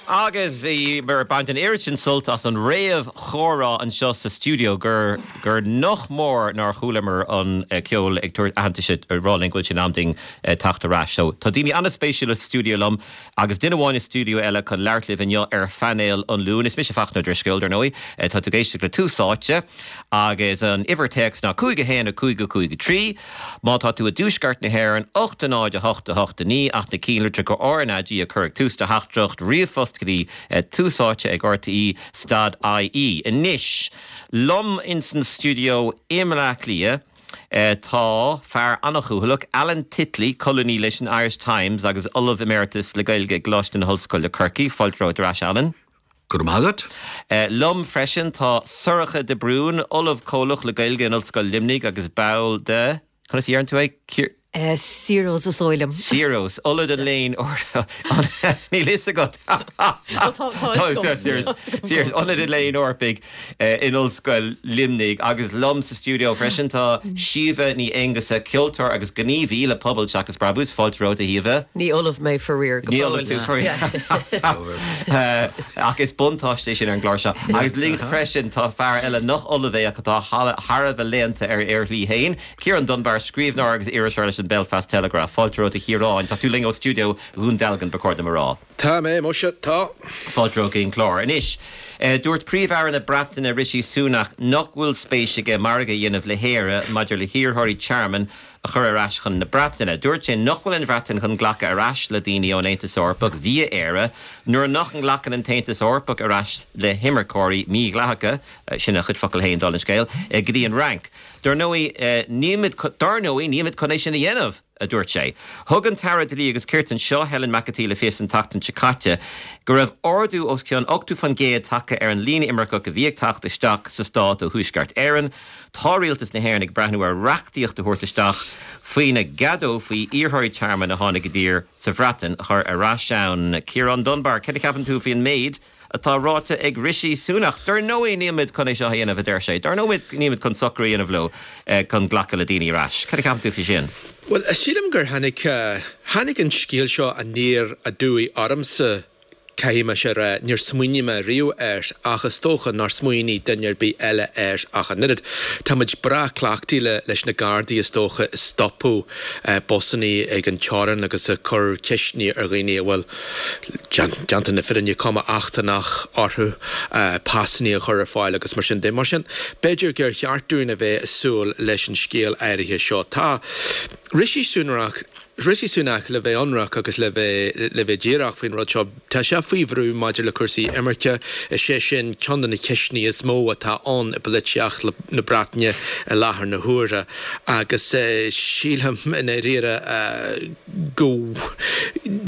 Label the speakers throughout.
Speaker 1: Agus bhíomar ag baint an oiread sin sult as an réamh-chomhrá anseo sa stiúideo gur gur nach mór nár chualamar an ceol ag tabhairt aitheantais ag rá linn go bhfuil sé in am dúinn teacht ar ais. So, tá daoine an-spéisiúla sa stiúideo liom agus duine amháin i stiúideo eile chun labhairt libh inniu ar phainéal an Luain. Is mise Fachtna Ó Drisceoil, dar ndóigh. Tá tú ag éisteacht le Tús Áite agus an uimhir téacs ná 5 1 5 5 3. Má tá tú i dtuaisceart na hÉireann, 8 0 8 8 9 ach na cinnlitreacha RnaG a chur ag tús do theachtaireacht ríomhphost go dtí Tús Áite ag RTÉ stad IE. Anois, liom ins an stiúideo i mBleá Cliath tá fear an-chúthaileach, Alan Titley, colúnaí leis an Irish Times agus Ollamh Emeritus le Gaeilge i gColáiste na hOllscoile Corcaigh. Fáilte romhat ar ais, Alan.
Speaker 2: Go raibh maith agat.
Speaker 1: Liom freisin tá Sorcha de Brún, Ollamh Comhlach le Gaeilge in Ollscoil Luimnigh agus ball de, conas a dheireann tú é?
Speaker 3: Ciros is dóigh liom.
Speaker 1: Ciros, Ionad an Léinn Níl fhios agat.
Speaker 3: Tá fhios
Speaker 1: agam. Ciros, Ionad an Léinn Eorpaigh in Ollscoil Luimnigh agus liom sa stiúideo freisin tá Síomha Ní Aonghusa, ceoltóir agus gníomhaí le Pobal Seachas Brabús. Fáilte romhat a Shíomha.
Speaker 3: Ní ollamh mé faraor,
Speaker 1: go fóill. Ní ollamh tú faraor. Ach is buntáiste é sin ar an gclár seo. Agus linn freisin tá fear eile nach ollamh é ach atá thar a bheith léannta ar a shlí féin, Ciarán Dunbar, scríbhneoir agus iriseoir leis an Belfast Telegraph. Fáilte romhat a Chiaráin. Tá tú linn ó stiúideo Dhún Dealgan, ba chóir dom a rá.
Speaker 2: Tá mé, muise, tá.
Speaker 1: Fáilte romhat go dtí an clár. Anois, dúirt Príomh-Aire na Breataine Rishi Sunak nach bhfuil spéis aige margadh a dhéanamh le hÉire maidir le hiarrthóirí tearmainn a chur ar ais chun na Breataine. Dúirt sé nach bhfuil an Bhreatain chun glacadh ar ais le daoine ón Aontas Eorpach via Éire nuair nach nglacann an tAontas Eorpach ar ais le himirceoirí mídhleathacha, sin a chuid focal féin, dála an scéil, go dtí an Fhrainc. Dar ndóigh, nílimid, dar ndóigh, nílimid chun é sin a dhéanamh! a dúirt sé. Thug an tAire Dlí agus Cirt anseo, Helen McEntee le fios an tseachtain seo caite go raibh ardú os cionn 80% tagtha ar an líon imirceach a bhí ag teacht isteach sa stát ó Thuaisceart Éireann. Tá Rialtas na hÉireann ag breathnú ar reachtaíocht a thabhairt isteach faoina gceadófaí iarrthóirí tearmainn a tháinig i dtír sa Bhreatain a chur ar ais ann. Ciarán Dunbar, céard a cheapann tú faoin méid atá ráite ag Rishi Sunak? Dar ndóigh nílimid chun é seo a dhéanamh, a deir sé. Dar ndóigh nílimid chun socrú a dhéanamh leo chun glacadh le daoine ar ais. Céard a cheapann tú faoi sin?
Speaker 2: Bhuel, sílim gur tháinig, tháinig an scéal seo aniar aduaidh ormsa. Caithfidh mise a rá, níor smaoinigh mé riamh air, ach is dócha nár smaoinigh duine ar bith eile air ach an oiread. Tá muid breá cleachtaithe leis na Gardaí, is dócha, ag stopadh busannaí ag an teorainn agus ag cur ceisteanna ar dhaoine a bhfuil, déanta na fírinne, cuma eachtrannach orthu, pasannaí a chur ar fáil agus mar sin de. Mar sin, b'fhéidir gur cheart dúinn a bheith ag súil leis an scéal áirithe seo. Tá Rishi Sunak. Rishi Sunak, le bheith ionraic agus le bheith le bheith díreach faoin rud seo, tá sé faoi bhrú maidir le cúrsaí imirce. Is é sin ceann de na ceisteanna is mó atá ann i bpolaitíocht na Breataine i láthair na huaire agus sílim i ndáiríre go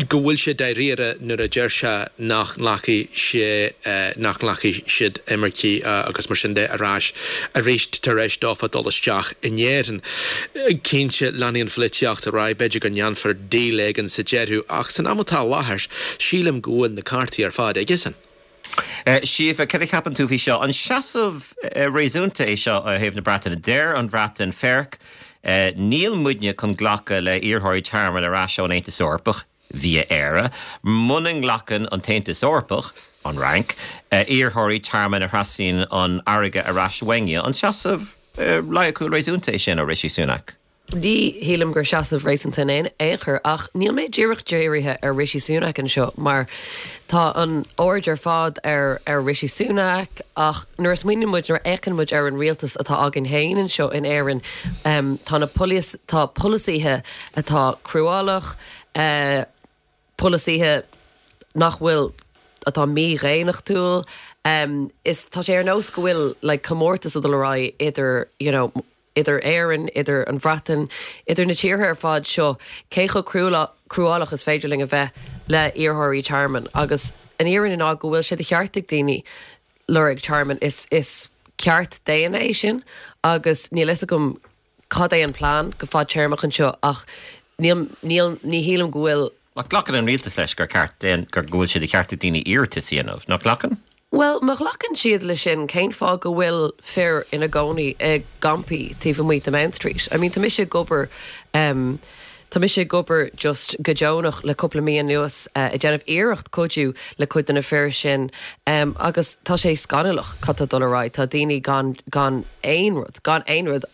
Speaker 2: go bhfuil sé dáiríre nuair a deir sé nach nglacfaidh sé nach nglacfaidh siad imircigh agus mar sin de ar ais arís tar éis dófa dul isteach in Éirinn. Cinnte, leanfaidh an pholaitíocht ar aghaidh, b'fhéidir go ndéanfar deal éigin sa deireadh, ach san am atá i láthair, sílim go bhfuil na cártaí ar fad aigesan.
Speaker 1: Síomha, céard a cheapann tú faoi seo? An seasamh réasúnta é seo ó thaobh na Breataine? Deir an Bhreatain, Féach, níl muidne chun glacadh le hiarrthóirí tearmainn ar ais ón Aontas Eorpach. via Éire, muna nglacann an tAontas Eorpach, an Fhrainc, iarrthóirí tearmainn a thrasnaíonn an fharraige ar ais uainne. An seasamh loighciúil réasúnta é sin ó Rishi Sunak?
Speaker 3: Ní shílim gur seasamh réasúnta in aon chor, ach níl mé díreach dírithe ar Rishi Sunak anseo mar tá an aird ar fad ar ar Rishi Sunak ach nuair a smaoiníonn muid, nuair a fhéachann muid ar an rialtas atá againn féin anseo in Éirinn, tá na tá polasaithe atá cruálach, polasaithe nach bhfuil, atá mídhaonnachtúil. Is tá sé ar nós go bhfuil like comórtas ag dul ar aghaidh idir you know idir Éirinn, idir an Bhreatain, idir na tíortha ar fad seo, cé chomh cruálach is féidir linn a bheith le iarrthóirí tearmainn. Agus an fhírinne ná go bhfuil sé de cheart ag daoine lorg tearmainn. Is is ceart daonna é sin agus níl fhios agam cad é an plean go fadtéarmach anseo ach níl, níl, ní shílim go bhfuil.
Speaker 1: Ach glacann an rialtas leis gur ceart d'aon, gur, go bhfuil sé de cheart ag daoine iarratas a dhéanamh, nach nglacann?
Speaker 3: Bhuel, má ghlacann siad leis sin, cén fáth go bhfuil fir ina gcónaí i gcampaí taobh amuigh de Mount Street? I mean, tá mise ag obair, em. Tá mise ag obair just go deonach le cúpla mí anuas ag déanamh iarracht cuidiú le cuid de na fir sin agus tá sé scannalach cad tá ag dul ar aghaidh. Tá daoine gan gan aon rud, gan aon rud.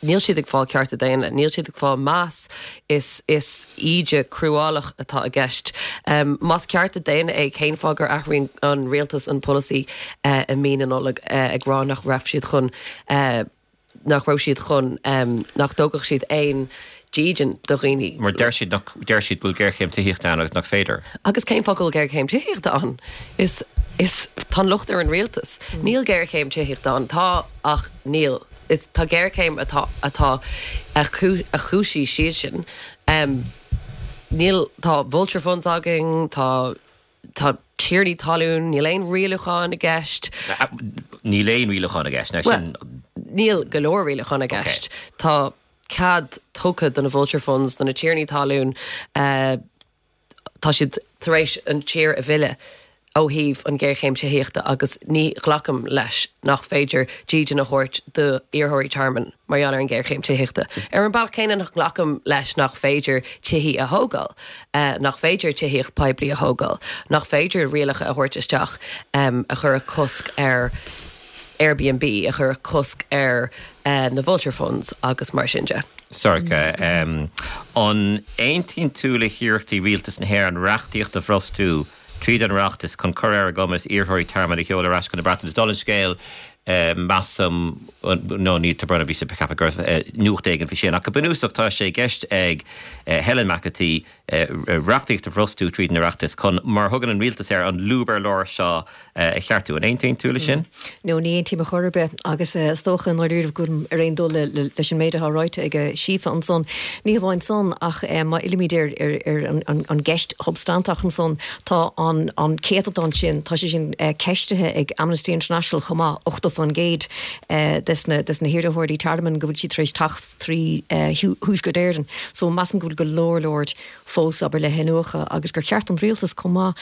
Speaker 3: Níl siad ag fáil cearta daonna, níl siad ag fáil meas, is is íde cruálach atá i gceist. Más cearta daonna é, cén fáth gur athraíonn an rialtas an polasaí i mí na Nollag ag rá nach raibh siad chun nach raibh siad chun, nach dtógfadh siad aon dídean do dhaoine.
Speaker 1: Mar deir siad nach, deir siad go bhfuil géarchéim tithíochta ann agus nach féidir.
Speaker 3: Agus cén fáth go bhfuil géarchéim tithíochta ann? Is, is, tá an locht ar an rialtas. Níl géarchéim tithíochta ann. Tá, ach níl. Is, tá géarchéim atá, atá, a chúisigh siadsan. Níl, tá vulture funds againn, tá. Tá tiarnaí talún, níl aon rialúchán i gceist.
Speaker 1: Níl aon rialúchán i gceist,
Speaker 3: sin. Níl go leor rialúchán i gceist. Tá cead tugtha do na vulture funds, do na tiarnaí talún, tá siad tar éis an tír a mhilleadh ó thaobh an ghéarchéim tithíochta agus ní ghlacaim leis nach féidir dídean a thabhairt d'iarrthóirí tearmainn. mar gheall ar an ghéarchéim tithíochta. Ar an bealach céanna nach nglacaim leis nach féidir tithí a thógáil, nach féidir tithíocht poiblí a thógáil, nach féidir rialacha a thabhairt isteach a chuirfeadh cosc ar Airbnb, a chuirfeadh cosc ar na vulture funds agus mar sin de.
Speaker 1: Sorcha, an aontaíonn tú le hiarrachtaí Rialtas na hÉireann reachtaíocht a bhrostú tríd an Oireachtas chun cur ar a gcumas iarrthóirí tearmainn a sheoladh ar ais chun na Breataine. Dála an scéil, measaim, nó ní tá brón orm, bhíos ag ceapadh go raibh nuacht éigin faoi sin, ach go bunúsach tá sé i gceist ag Helen McEntee reachtaíocht a bhrostú tríd an Oireachtas chun, mar a thugann an rialtas air, an lúb ar lár seo a cheartú. An aontaíonn tú leis sin?
Speaker 4: No, ní aontaím ar chor ar bith agus is dócha i ndáiríribh go bhfuilim ar aon dul leis an méid atá ráite ag Síofra ansan. Ní hamháin san ach má fhillimid ar an gceist shubstainteach ansan, tá an céatadán sin, tá sé sin ceistithe ag Amnesty International chomh maith, 80% des na hiarrthóirí tearmainn go bhfuil siad tar éis teacht trí Thuaisceart Éireann. So measaim go bhfuil go leor leor fós, abair, le hiniúchadh agus gur cheart don rialtas chomh maith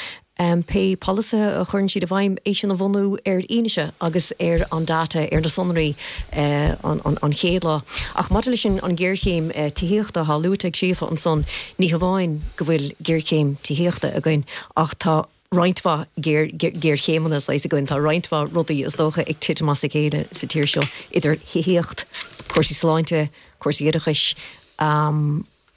Speaker 4: Pé polasaithe a chuireann siad i bhfeidhm, é sin a bhunú ar fhianaise agus ar an data, ar na sonraí an chéad lá. Ach maidir leis an ghéarchéim tithíochta atá luaite ag Síofra ansan, ní hamháin go bhfuil géarchéim tithíochta againn ach tá roinnt mhaith géarchéimeanna saghas againn, tá roinnt mhaith rudaí is dócha ag titim as a chéile sa tír seo, idir thithíocht, cúrsaí sláinte, cúrsaí oideachais.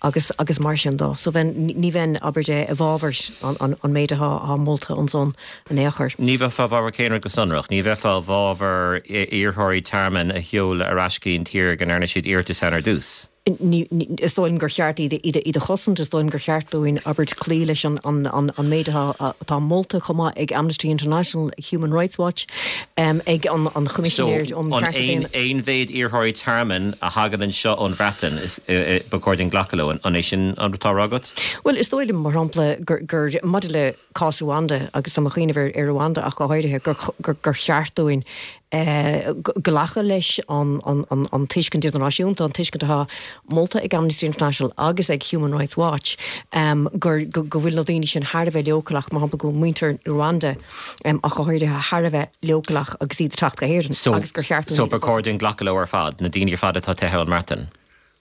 Speaker 4: agus agus mar sin dó. So bheinn, ní bheinn, abair, i bhfabhar an an méid atá atá molta ansan in aon chor.
Speaker 1: Ní bheifeá i bhfabhar cén rud go sonrach? Ní bheifeá i bhfabhar iarrthóirí tearmainn a sheoladh ar ais go dtí an tír go ndearna siad iarratas ann ar dtús?
Speaker 4: Ní, ní, is dóigh liom gur cheart iad iad iad a chosaint, is dóigh liom gur cheart dúinn, abair, cloí leis an an an an méid atá atá molta chomh maith ag Amnesty International, Human Rights Watch, ag an an Choimisinéir
Speaker 1: um Chearta Daonna. So, an aon mhéid iarrthóirí tearmainn a thagann anseo ón Bhreatain, is, ba chóir dúinn glacadh leo, an é sin an rud atá á rá agat?
Speaker 4: Bhuel, is dóigh liom, mar shampla, gur, gur, maidir le cás Rwanda, agus tá mé ag cuimhneamh ar, ar Rwanda ach go háirithe, gur, gur, gur cheart dúinn glacadh leis an, an, an, an tuiscint idirnáisiúnta, an tuiscint atá molta ag Amnesty International agus ag Human Rights Watch, gur, go, go bhfuil na daoine sin thar a bheith leochaileach, mar shampla, go bhfuil muintir Rwanda, ach go háirithe, thar a bheith leochaileach agus iad ag teacht go hÉirinn agus gur cheart
Speaker 1: dúinn iad a chosaint. So ba chóir dúinn glacadh leo ar fad, na daoine ar fad atá teithe ón mBreatain?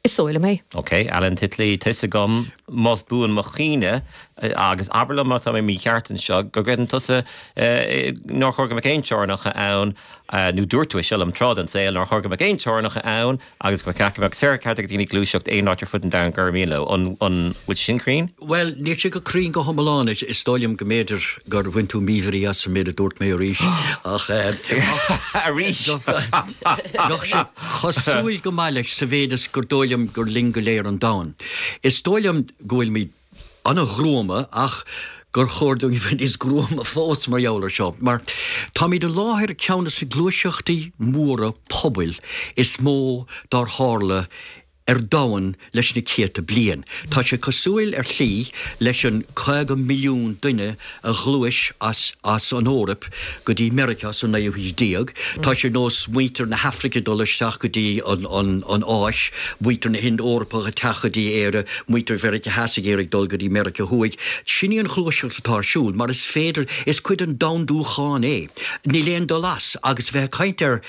Speaker 4: Is dóigh liom é.
Speaker 1: Ok, Alan Titley, tá 'fhios agam, más buan mo chuimhne, agus abair liom má tá mé mícheart anseo, go gcreideann tusa nár chóir go mbeadh aon teorainneacha ann, nó dúirt tú é seo liom tráth den saol, nár chóir go mbeadh aon teorainneacha ann, Agus go mbeadh ceart ag daoine gluaiseacht aon áit ar fud an domhain gur mian leo. An bhfuil sé sin cruinn?
Speaker 2: Bhuel, níl sé go cruinn go hiomlán. Is dóigh liom go mb'fhéidir gur bhain tú míbhrí as an méid a dúirt mé arís, ach.
Speaker 1: Arís!
Speaker 2: Bheadh sé cosúil go maith leis sa mhéid is gur dóigh liom gur linn go léir an domhan. Is dóigh liom go bhfuilimid an-ghruama ach gur chóir dúinn a bheith níos gruama fós mar gheall ar seo, mar táimid i láthair ceann de na gluaiseachtaí móra pobail is mó dár tharla ar domhan leis na céadta bliain. Tá sé cosúil ar shlí leis an 50 milliún duine a ghluais as as an Eoraip go dtí Meiriceá sa naoú haois déag. Tá sé nós muintir na hAfraice dul isteach go dtí an an an Áis, muintir na hInd-Eorpach ag teacht go dtí Éire, muintir Mheiriceá Theas ag iarraidh dul go dtí Meiriceá Thuaidh. Sin í an ghluaiseacht atá ar siúl, mar is féidir, is cuid den domhandúchán é. Níl aon dul as. Agus bheith ag caint ar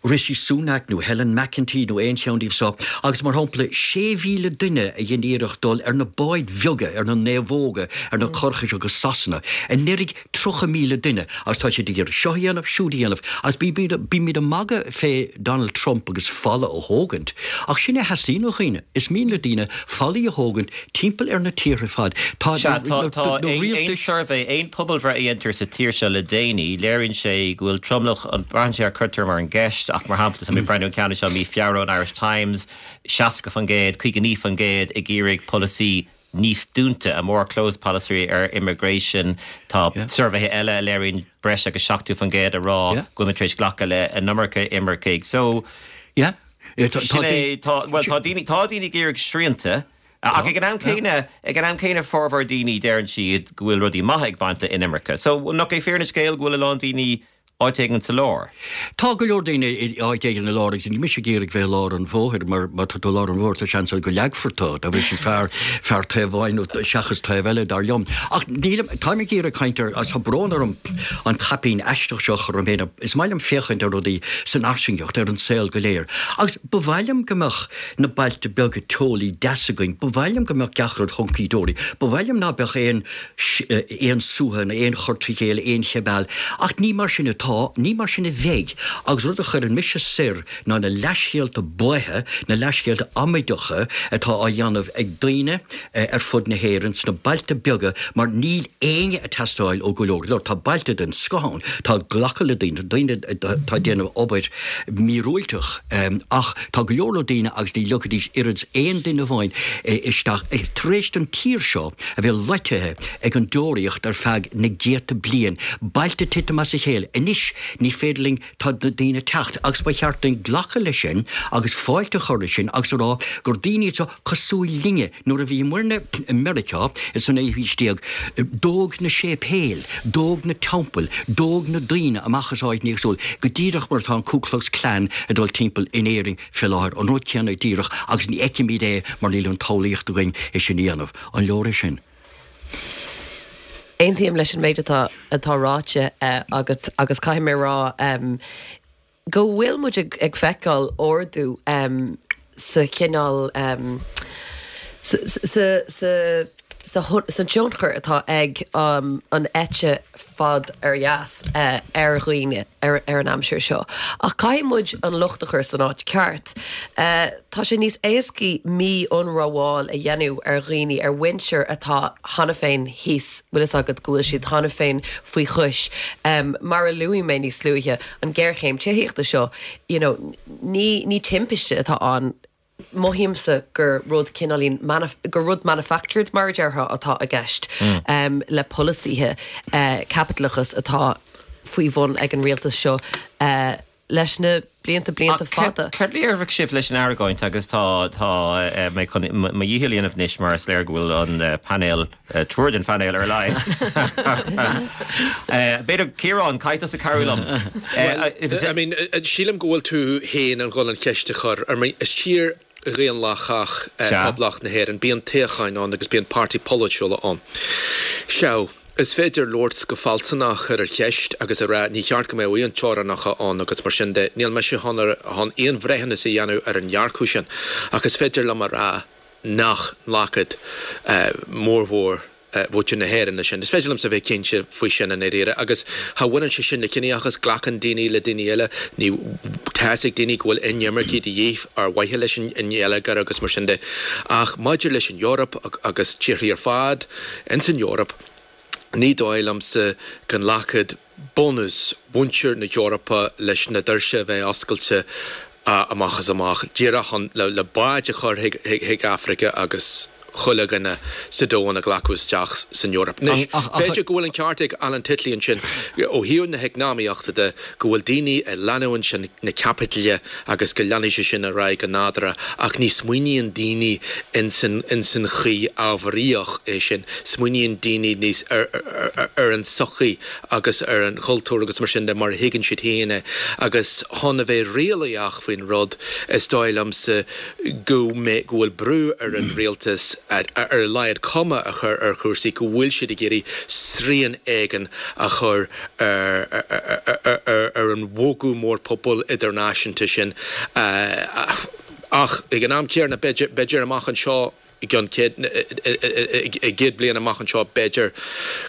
Speaker 2: Rishi Sunak nó Helen McEntee nó aon cheann díobh seo, agus mar.
Speaker 5: shampla, 6,000 duine a dhein iarracht dul ar na báid bheaga, ar na naomhóga, ar na curacha seo go Sasana. Anuraidh, 30,000 duine agus tá siad ag iarraidh seo a dhéanamh, siúd a dhéanamh agus bímid ag magadh fé Donald Trump agus falla a thógaint ach sin é a theastaíonn ó dhaoine. Is mian le daoine fallaí a thógaint timpeall ar na tíortha ar fad.
Speaker 1: Tá Sea, tá, tá na aon rialtais. suirbhé, aon pobalbhreith a dhéantar sa tír seo le déanaí, léiríonn sé go bhfuil tromlach, braitheann sé ar cuirtear mar an gceist ach mar shampla tá mé ag breathnú an ceann seo mí Feabhra ón Irish Times, 60%, 59% ag iarraidh polasaí níos dúnta, a more closed policy ar immigration. Tá suirbhéithe eile a léiríonn breis agus 70% ag rá go bhfuil muid tar éis glacadh le an iomarca imircigh. So, sin é, tá, bhuel, tá daoine, tá daoine ag iarraidh srianta, ach ag an am céanna, ag an am céanna formhór daoine deireann siad go bhfuil rudaí maithe ag baint le inimirce. So, nach é fírinne an scéil go bhfuil a lán daoine áit éigin sa lár.
Speaker 5: Tá go leor daoine i áit éigin i lár agus níl mise ag iarraidh bheith i lár an bhóthair mar má tá tú i lár an bhóthair tá seans ann go leagfar tú, dá bhrí sin is fearr fearr taobh amháin nó seachas taobh eile dar liom. Ach nílim, táim ag iarraidh caint ar, agus tá brón orm an caipín aisteach seo a chur orm féin, is maith liom féachaint ar rudaí san fhairsingeacht, ar an saol go léir. Agus ba mhaith liom go mbeadh na bailte beaga teolaí deas againn, ba mhaith liom go mbeadh gach rud hunky dory, ba mhaith liom ná beadh aon aon suaitheadh nó aon chur trí chéile, aon chibeáil. Ach ní mar sin atá, ní mar sin a bheidh, agus rud a chuireann mise soir ná na leathscéalta baotha, na leathscéalta amaideacha atá á dhéanamh ag daoine ar fud na hÉireann sna bailte beaga mar níl éinne ag teastáil ó go leor go leor. Tá bailte den scoth ann, tá ag glacadh le daoine, tá daoine atá ag déanamh obair mhíorúilteach ach tá go leor leor daoine agus ní leogfaidís oiread 's aon duine amháin isteach tar éis don tír seo a bheith loitithe ag an deoraíocht ar feadh na gcéadta bliain, bailte ag titim as a chéile. Anois ní féidir linn, tá na daoine ag teacht agus ba cheart duinn glacadh leis sin agus fáilte a chur roimhe sin agus a rá gur daoine iad seo cosúil linne. Nuair a bhíomarna i Meiriceá sa naoú haois déag, dódh na séipéil, dódh na teampaill, dódh na daoine amach as áiteanna éagsúla, go díreach mar atá an Ku Klux Klan ag dul timpeall in Éirinn. Fé láthair, an rud céanna díreach, agus ní fheicimid é mar níl an tsamhlaíocht againn é sin a dhéanamh. An leor é sin?
Speaker 3: Aontaím leis an méid atá atá ráite agat agus caithfidh mé a rá go bhfuil muid ag feiceáil ardú sa chineál sa sa sa sa tionchar atá ag an eite fad ar dheas ar dhaoine ar an aimsir seo. Ach caithfidh muid an locht a chur san áit ceart. Tá sé níos éascaí mí-ionramháil a dhéanamh ar dhaoine, ar mhuintir atá cheana féin thíos, bhfuil fhios agat, go bhfuil siad cheana féin faoi chois. Mar a luaigh mé níos luaithe, an ghéarchéim tithíochta seo, you know, ní ní timpiste atá ann. Mothaímse gur rud cineáilín, gur rud manufactured mar a déarfá atá i gceist le polasaithe caipitleachas atá faoi bhun ag an rialtas seo leis na blianta, blianta fada.
Speaker 1: Céard a déarfadh sibh leis an argóint agus tá, tá mé chun mo dhícheall a dhéanamh anois mar is léir go bhfuil an painéal, triúr den phainéal ar a laghad. B'fhéidir, Ciarán, caithfidh tusa cabhrú liom.
Speaker 2: Well, I mean, sílim go bhfuil tú féin ag dul an cheist a chur. I mean, is tír dhaonlathach Poblacht na hÉireann. Bíonn toghcháin ann agus bíonn páirtí polaitiúla ann. Sea, is féidir labhairt go fealsúnach ar an cheist agus a rá ní cheart go mbeadh aon teorainneacha ann agus mar sin de. Níl mise chun aon bhreithiúnas a dhéanamh ar an dhearcadh sin ach is féidir liom a rá nach nglacfadh mórmhór mhuintir na hÉireann leis sin. Is féidir liomsa a bheith cinnte faoi sin i ndáiríre. Agus cha bhaineann sé sin le ciníochas, glacann daoine le daoine eile, ní, tá's ag daoine go bhfuil inimircigh de dhíth ar mhaithe leis an ngeilleagar agus mar sin de. Ach maidir leis an Eoraip agus tíorthaí ar fad ins an Eoraip, ní dóigh liomsa go nglacfadh bunús mhuintir na hEorpa leis na doirse a bheith oscailte amach is amach, díreach chun le báid a chur chuig Afraice agus chuile dhuine sa domhan a ghlacadh isteach san Eoraip. Anois, b'fhéidir go bhfuil an ceart ag Alan Titley ansin ó thaobh na heacnamaíochta de, go bhfuil daoine ag leanúint na caipitle agus go leanfaidh sé sin ar aghaidh go nádúrtha ach ní smaoiníonn daoine ins an chaoi ábharaíoch é sin, smaoiníonn daoine níos ar an tsochaí agus ar an chultúr agus mar sin de mar a thuigeann siad féin é agus chun a bheith réalaíoch faoin rud is dóigh liomsa go mbeidh, go bhfuil brú ar an rialtas ar a laghad cuma a chur ar chúrsaí go bhfuil siad ag iarraidh srian éigin a chur ar an bhogadh mór pobail idirnáisiúnta sin. Ach ag an am céanna, b'fhéidir, b'fhéidir amach anseo, i gceann 100, i gcéad bliain amach anseo, b'fhéidir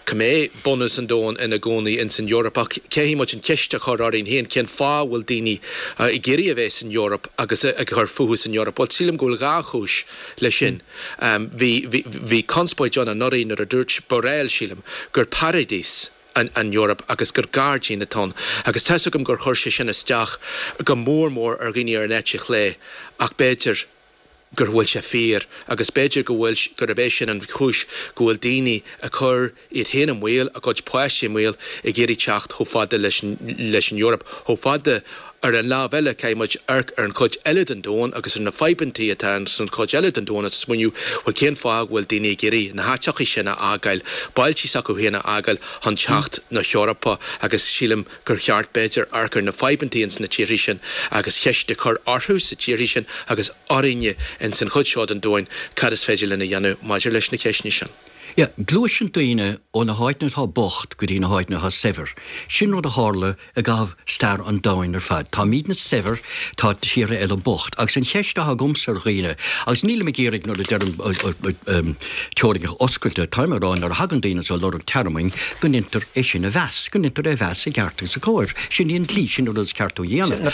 Speaker 2: go mbeidh bunús an domhain ina gcónaí ins an Eoraip. Ach caithfidh muid an cheist a chur orainn féin, cén fáth a bhfuil daoine ag iarraidh a bheith san Eoraip agus ag cur fúthu san Eoraip? Bhuel, sílim go bhfuil dhá chúis leis sin. Bhí, bhí, bhí conspóid ann anuraidh nuair a dúirt Borrell, sílim, gur paradís an an Eoraip agus gur gairdín atá ann. Agus tá's agam gur chuir sé sin isteach go mór mór ar dhaoine ar an eite chlé ach b'fhéidir gur bhfuil sé fíor agus b'fhéidir go bhfuil, gurb é sin an chúis go bhfuil daoine ag cur iad féin i mbaol, a gcuid páistí i mbaol ag iarraidh teacht chomh fada leis leis an Eoraip, chomh fada Ar an lámh eile, caithfidh muid amharc ar an chuid eile den domhan agus ar na fadhbantaí atá san chuid eile den domhan agus smaoineamh, bhuel, cén fáth go bhfuil daoine ag iarraidh na háiteachaí sin a fhágáil, bailtí s'acu féin a fhágáil chun teacht na hEorpa agus sílim gur cheart, b'fhéidir, amharc ar na fadhbantaí ins na tíorthaí sin agus ceist a chur orthu sa tíorthaí sin agus orainne ins an chuid seo den domhain cad is féidir linn a dhéanamh maidir leis na ceisteanna sin.
Speaker 5: Yeah, gluaiseann daoine ó na háiteanna atá bocht go dtí na háiteanna atá saibhir. Sin rud a tharla i gcaitheamh stair an domhain ar fad. Táimidne saibhir, tá tíortha eile bocht. Agus an cheist atá agamsa ar dhaoine, agus nílim ag iarraidh nuair a deirim teorainneacha oscailte, táim ag rá nuair a thagann daoine anseo ag lorg tearmainn go ndeintear é sin a mheas, go ndeintear é a mheas i gceart agus i gcóir. Sin í an dlí, sin an rud is ceart a dhéanamh.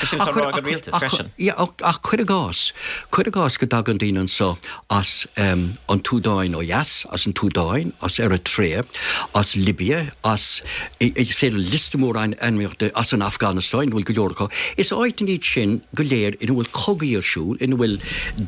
Speaker 5: Ach cuir i gcás, cuir i gcás go dtagann daoine anseo as an tSúdáin ó dheas, as an tSúdáin, as Eritrea, as Libia, as, is féidir liosta mór ainmneacha, as an Afganastáin, ina bhfuil go leor acu. Is áiteanna iad sin go léir ina bhfuil cogaí ar siúl, ina bhfuil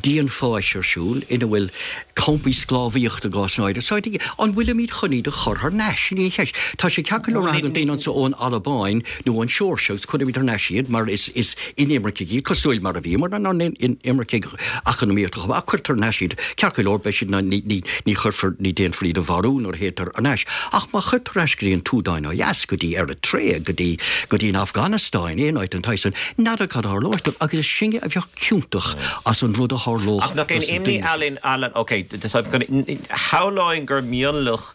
Speaker 5: dianpháis ar siúl, ina bhfuil campaí sclábhaíochta i gcás áirithe. So, an bhfuilimid chun iad a chur thar n-ais? Sin í an cheist. Tá sé ceart go leor nuair a thagann daoine anso ón Albáin nó ón Seoirsia agus cuirimid thar n-ais iad mar is inimircigh iad, cosúil mar a bhíomar inár n-inimircigh eacnamaíochta chomh maith, ach cuirtear thar n-ais iad. Ceart go leor, beidh siad, ní, ní, ní chuirfear, ní déanfar iad a mharú nuair a théitear thar n-ais. Ach má chuirtear thar ais go dtí an tSúdáin ó dheas, go dtí Eritrea, go dtí, go dtí an Afganastáin, aon áit den tsaghas san, n'fheadar cad a tharlóidh dóibh, agus is sinne a bheadh ciontach as an rud a tharlódh
Speaker 1: Ach nach é an imní, Alan, Alan, ok, shamhlóinn gur mionlach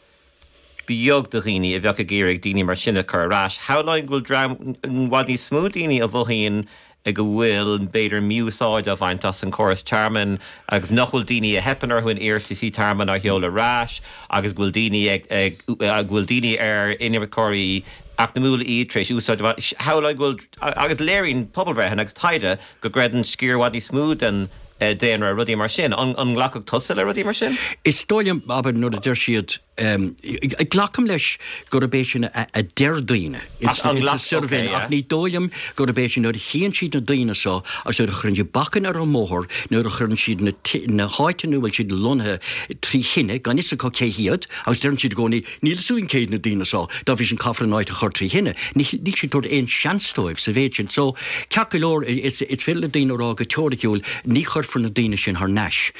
Speaker 1: beag de dhaoine a bheadh ag iarraidh daoine mar sin a chur ar ais. Shamhlóinn go bhfuil dream i bhfad níos mó daoine a mhothaíonn go bhfuil, b'fhéidir, mí-úsáid á bhaint as an chóras tearmainn agus nach bhfuil daoine a theipeann orthu in iarrataisí tearmainn á sheoladh ar ais agus go bhfuil daoine ag, ag, go bhfuil daoine ar inimirceoirí eacnamúla iad tar éis úsáid a bhaint. Shamhlóinn go bhfuil, agus léiríonn pobalbhreitheanna agus taighde go gcreideann sciar i bhfad níos mó den daonra rudaí mar sin. An nglacfadh tusa le rudaí mar sin?
Speaker 5: Is dóigh liom, abair, nuair a deir siad, glacaim leis gurb é sin a deir daoine ins na suirbhéanna, ach ní dóigh liom gurb é sin, nuair a chíonn siad na daoine seo agus nuair a chuireann siad bacainn ar an mbóthar, nuair a chuireann siad na háiteanna ina bhfuil siad lonnaithe trí thine, gan fhios acu cé hiad, agus deireann siad i gcónaí, Níl fhios againn cé hiad na daoine seo, dá bhrí sin caithfear an áit a chur trí thine. Níl siad ag tabhairt aon seans dóibh sa mhéid sin. So, ceart go leor, is féidir le daoine a rá go teoiriciúil, ní chuirfear na daoine sin thar n-ais.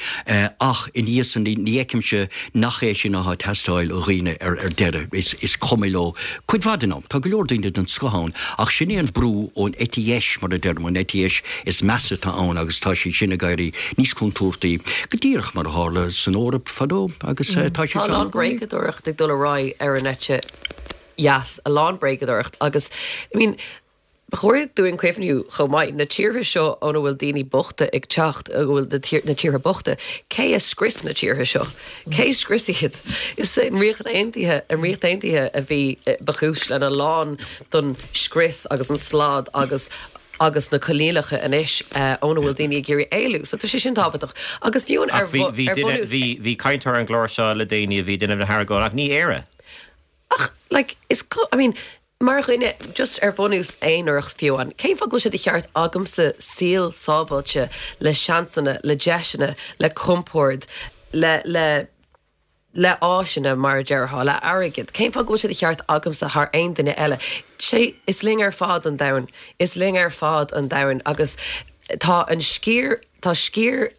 Speaker 5: Ach ina dhiaidh san, ní fheicimse nach é sin atá ag teastáil ó dhaoine ar deireadh. Is cuma leo cuid mhaith den am. Tá go leor daoine den scoth ann, ach sin é an brú ón eite dheis, mar a deirim, an eite dheis is measa atá ann agus tá sí sin ag éirí níos contúirtí, go díreach mar a tharla san Eoraip fadó agus tá
Speaker 3: siad Tá a lán bréagadóireacht ag dul ar aghaidh ar an eite dheas, a lán bréagadóireacht agus, I mean, ba chóir dúinn cuimhniú chomh maith, na tíortha seo óna bhfuil daoine bochta ag teacht, go bhfuil na tíortha bochta, cé a scrios na tíortha seo? Cé a scrios iad? Is é an Ríocht Aontaithe, an Ríocht Aontaithe a bhí, ba chúis lena lán don scrios agus an slad agus agus na coinníollacha anois óna bhfuil daoine ag iarraidh éalú. So tá sé sin tábhachtach. Agus fiú
Speaker 1: ar bhunús. Bhí cainteoir ar an gclár seo le déanaí a bhí ag déanamh na hargóna ach ní Éire.
Speaker 3: Ach like is I mean mar dhuine just ar bhunús aonarach fiú amháin, cén fáth go bhfuil sé de cheart agamsa saol sábháilte le seansanna, le deiseanna, le compord, le le le áiseanna, mar a déarfá, le airgead. Cén fáth go bhfuil sé de cheart agamsa thar aon duine eile? Sé, is linn ar fad an domhan. Is linn ar fad an domhan agus tá an sciar, tá sciar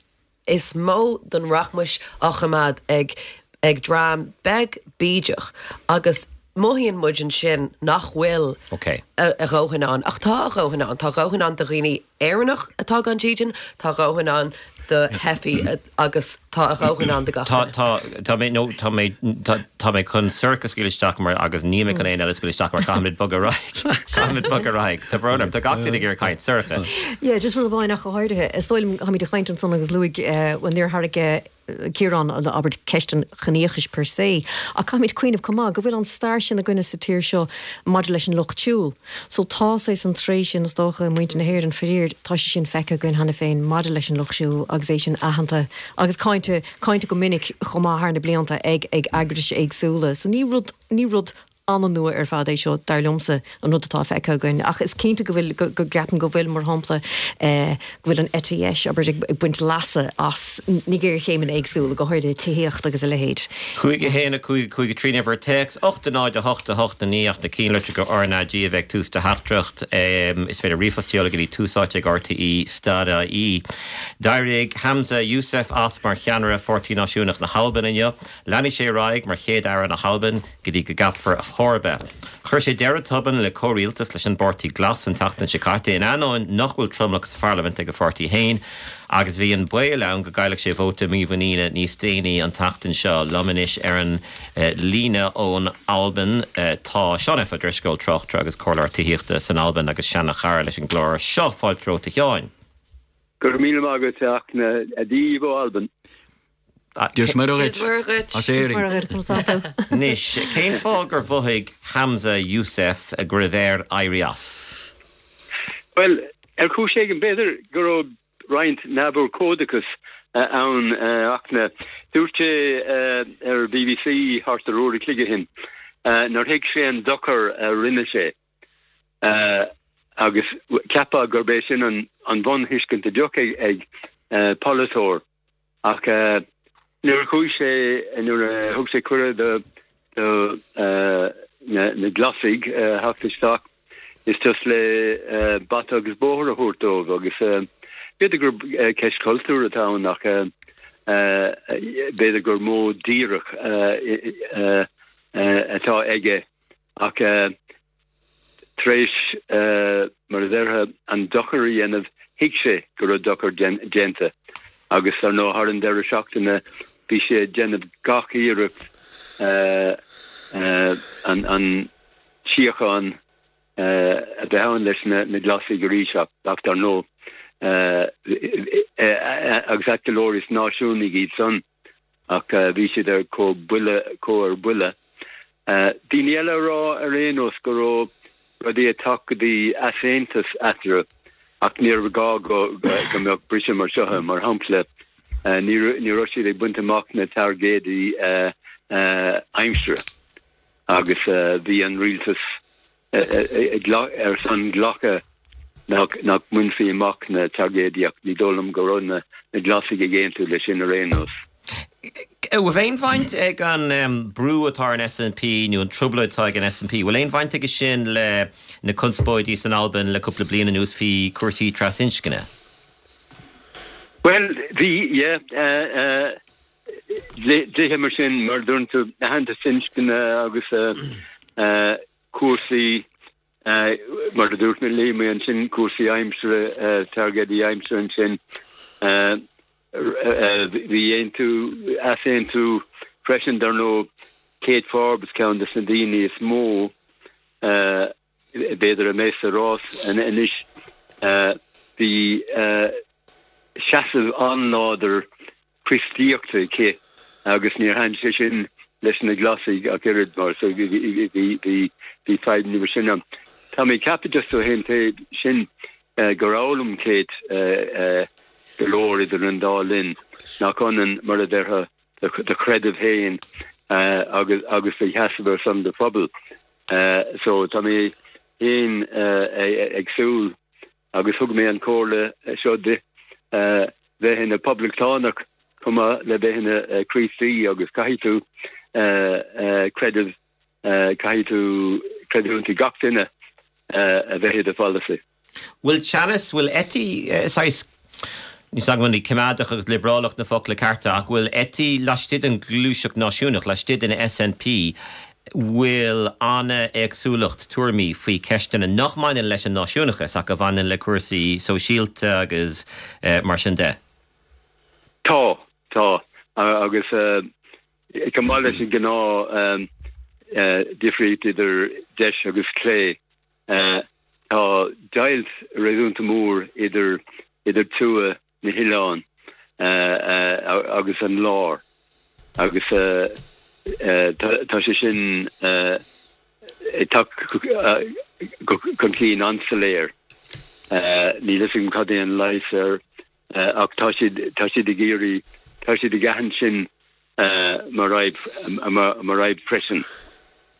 Speaker 3: is mó den rachmais á choimeád ag, ag dream beag bídeach agus. Mothaíonn muid ansin nach bhfuil a dhóthain ann, ach tá a dhóthain ann. Tá a dhóthain ann do dhaoine Éireannach atá gan dídean, tá a dhóthain ann do theifigh agus tá a dhóthain ann do gach duine.
Speaker 1: Tá, tá mé, nó tá mé, tá mé chun Sorcha a scaoileadh isteach mar, agus níl mé chun éinne eile a scaoileadh isteach mar caithfimid bogadh ar aghaidh. Caithfimid bogadh ar aghaidh. Tá brón orm, tá gach duine ag iarraidh caint. Sorcha.
Speaker 4: Yeah, just rud amháin ach go háirithe. Is dóigh liom, táimid ag caint ansan agus luaigh, bhuel níor tharraing, Ciarán, abair, ceist an chiníochais per se, ach caithfimid cuimhneamh chomh maith go bhfuil an stair sin againne sa tír seo maidir leis an lucht siúil. So tá saghas an tréith sin, is dócha, i muintir na hÉireann, faraor, tá sé sin feicthe againn cheana féin maidir leis an lucht siúil agus é sin aitheanta agus cáinte, cáinte go minic chomh maith thar na blianta ag, ag eagrais éagsúla. So ní rud, ní rud an-nua ar fad é seo, dar liomsa, an rud atá feicthe againn. Ach is cinnte go bhfuil, go gceapaim go bhfuil, mar shampla, go bhfuil an eite dheis, abair, ag baint leasa as na géarchéimeanna éagsúla, go háirithe tithíocht agus a leithéid.
Speaker 1: 5, 1, 5, 5, 3, an uimhir téacs, 8, 0, 8, 8, 9, ach na cinnlitreacha RnaG a bheith ag tús do theachtaireacht. Is féidir ríomhphost a sheoladh go dtí Tús Áite ag RTÉ stad ie. D'éirigh Humza Yousaf as mar cheannaire Pháirtí Náisiúnach na hAlban inniu. Leanfaidh sé ar aghaidh mar Chéad-Aire na hAlban go dtí go gceapfar a chomharba. Chuir sé deireadh tobann le comhrialtas leis an bPáirtí Glas an tseachtain seo caite, in ainneoin nach bhfuil tromlach sa pharlaimint ag a pháirtí féin, agus bhí an baol ann go gcaillfeadh sé vóta mímhuiníne níos déanaí an tseachtain seo. Liom anois ar an líne ón Albain tá Seán F. Ó Drisceoil, tráchtaire agus comhairleoir tithíochta san Albain agus seana-chara leis an gclár seo. Fáilte romhat a Sheáin.
Speaker 6: Go raibh míle maith agat, a Fhachtna. Dia dhaoibh ó Albain.
Speaker 5: Dia is Muire dhuit as Éirinn.
Speaker 1: Anois, cén fáth gur mhothaigh Humza Yousaf go raibh air éirí as?
Speaker 6: Bhuel, ar chúis éigin, b'fhéidir go raibh roinnt neamhurchóideachas ann, a Fhachtna. Dúirt sé ar BBC thart ar uair a chloig ó shin nár thuig sé an dochar a rinne sé. Agus cheapfá gurb é sin an bhunthuiscint a bheadh ag polaiteoir. Ach nuair a chuaigh sé, nuair a thug sé cuireadh do na Glasaigh theacht isteach, is just le bata agus bóthar a thabhairt dóibh agus b'fhéidir gur ceist cultúir atá ann ach b'fhéidir gur modh díreach atá aige ach Tar éis, mar a déarfá, an dochar a dhéanamh, thuig sé go raibh dochar déanta agus, ar ndóigh, thar an deireadh seachtaine bhí sé ag déanamh gach iarracht an tsíocháin a bheith ann leis na Glasaigh arís ach, dar ndóigh, agus ait go leor, is náisiúnaigh iad san. ach bhí siad ar chomh buille, chomh ar buile. Daoine eile a rá ar aon nós go raibh rudaí ag teacht go dtí easaontas eatarthu ach níorbh ghá go go mbeadh briseadh mar seo ann. Mar shampla, ní ní raibh siad ag baint amach na targaidí aimsire agus bhí an rialtas ar son glacadh nach mbainfí amach na targaidí ach ní dóigh liom go raibh na Glasaigh ag aontú leis sin ar aon nós.
Speaker 1: Bhfuil aon bhaint ag an brú atá ar an SNP nó an trioblóid atá ag an SNP, bhfuil aon bhaint aige sin le na conspóidí san Albain le cúpla bliain anuas faoi chúrsaí trasinscne?
Speaker 6: Bhuel, bhí, yeah. Dlíthe mar sin, mar a dúirt tú, aitheantas inscne agus cúrsaí, mar a dúirt mé, léigh mé ansin cúrsaí aimsire, targaidí aimsire ansin. Bhí aontú, easaontú freisin, dar ndóigh, Kate Forbes, ceann de na daoine is mó, b'fhéidir, a mbeidh sa rás anois. Bhí seasamh an-láidir Críostaíochta aici agus níor thaitin sé sin leis na Glasaigh ach oiread mar so bhí fadhbanna mar sin ann. Tá mé ag ceapadh just ó thaobh an taobh sin gur fhoghlaim Kate go leor idir an dá linn nach ionann mar a déarfá do chreideamh féin agus agus do sheasamh ar son do phobail. So tá mé féin ag súil agus thug mé an chomhairle seo di, bheith ina poblachtánach chomh maith le bheith ina Chríostaí agus caithfidh tú creideamh, caithfidh tú creidiúint i gach duine a bheith i do pholasaí.
Speaker 1: Bhfuil teannas, bhfuil eití saghas, níl 's agam an coimeádach agus liobrálach na focla cearta, ach bhfuil eití laistigh den ghluaiseacht náisiúnach, laistigh den SNP? Bhfuil an-éagsúlacht tuairimí faoi cheisteanna nach mbaineann leis an náisiúnachas ach a bhaineann le cúrsaí sóisialta agus mar sin de?
Speaker 6: Tá, tá. Agus chomh maith leis an gnáth difríocht idir deis agus clé, tá deighilt réasúnta mór idir idir tuath na hoileáin agus an lár agus tá sé sin ag teacht chun cinn an-soiléir. Níl fhios agam cad é an leigheas air ach tá siad tá siad ag iarraidh, tá siad ag aithint sin mar fhadhb freisin.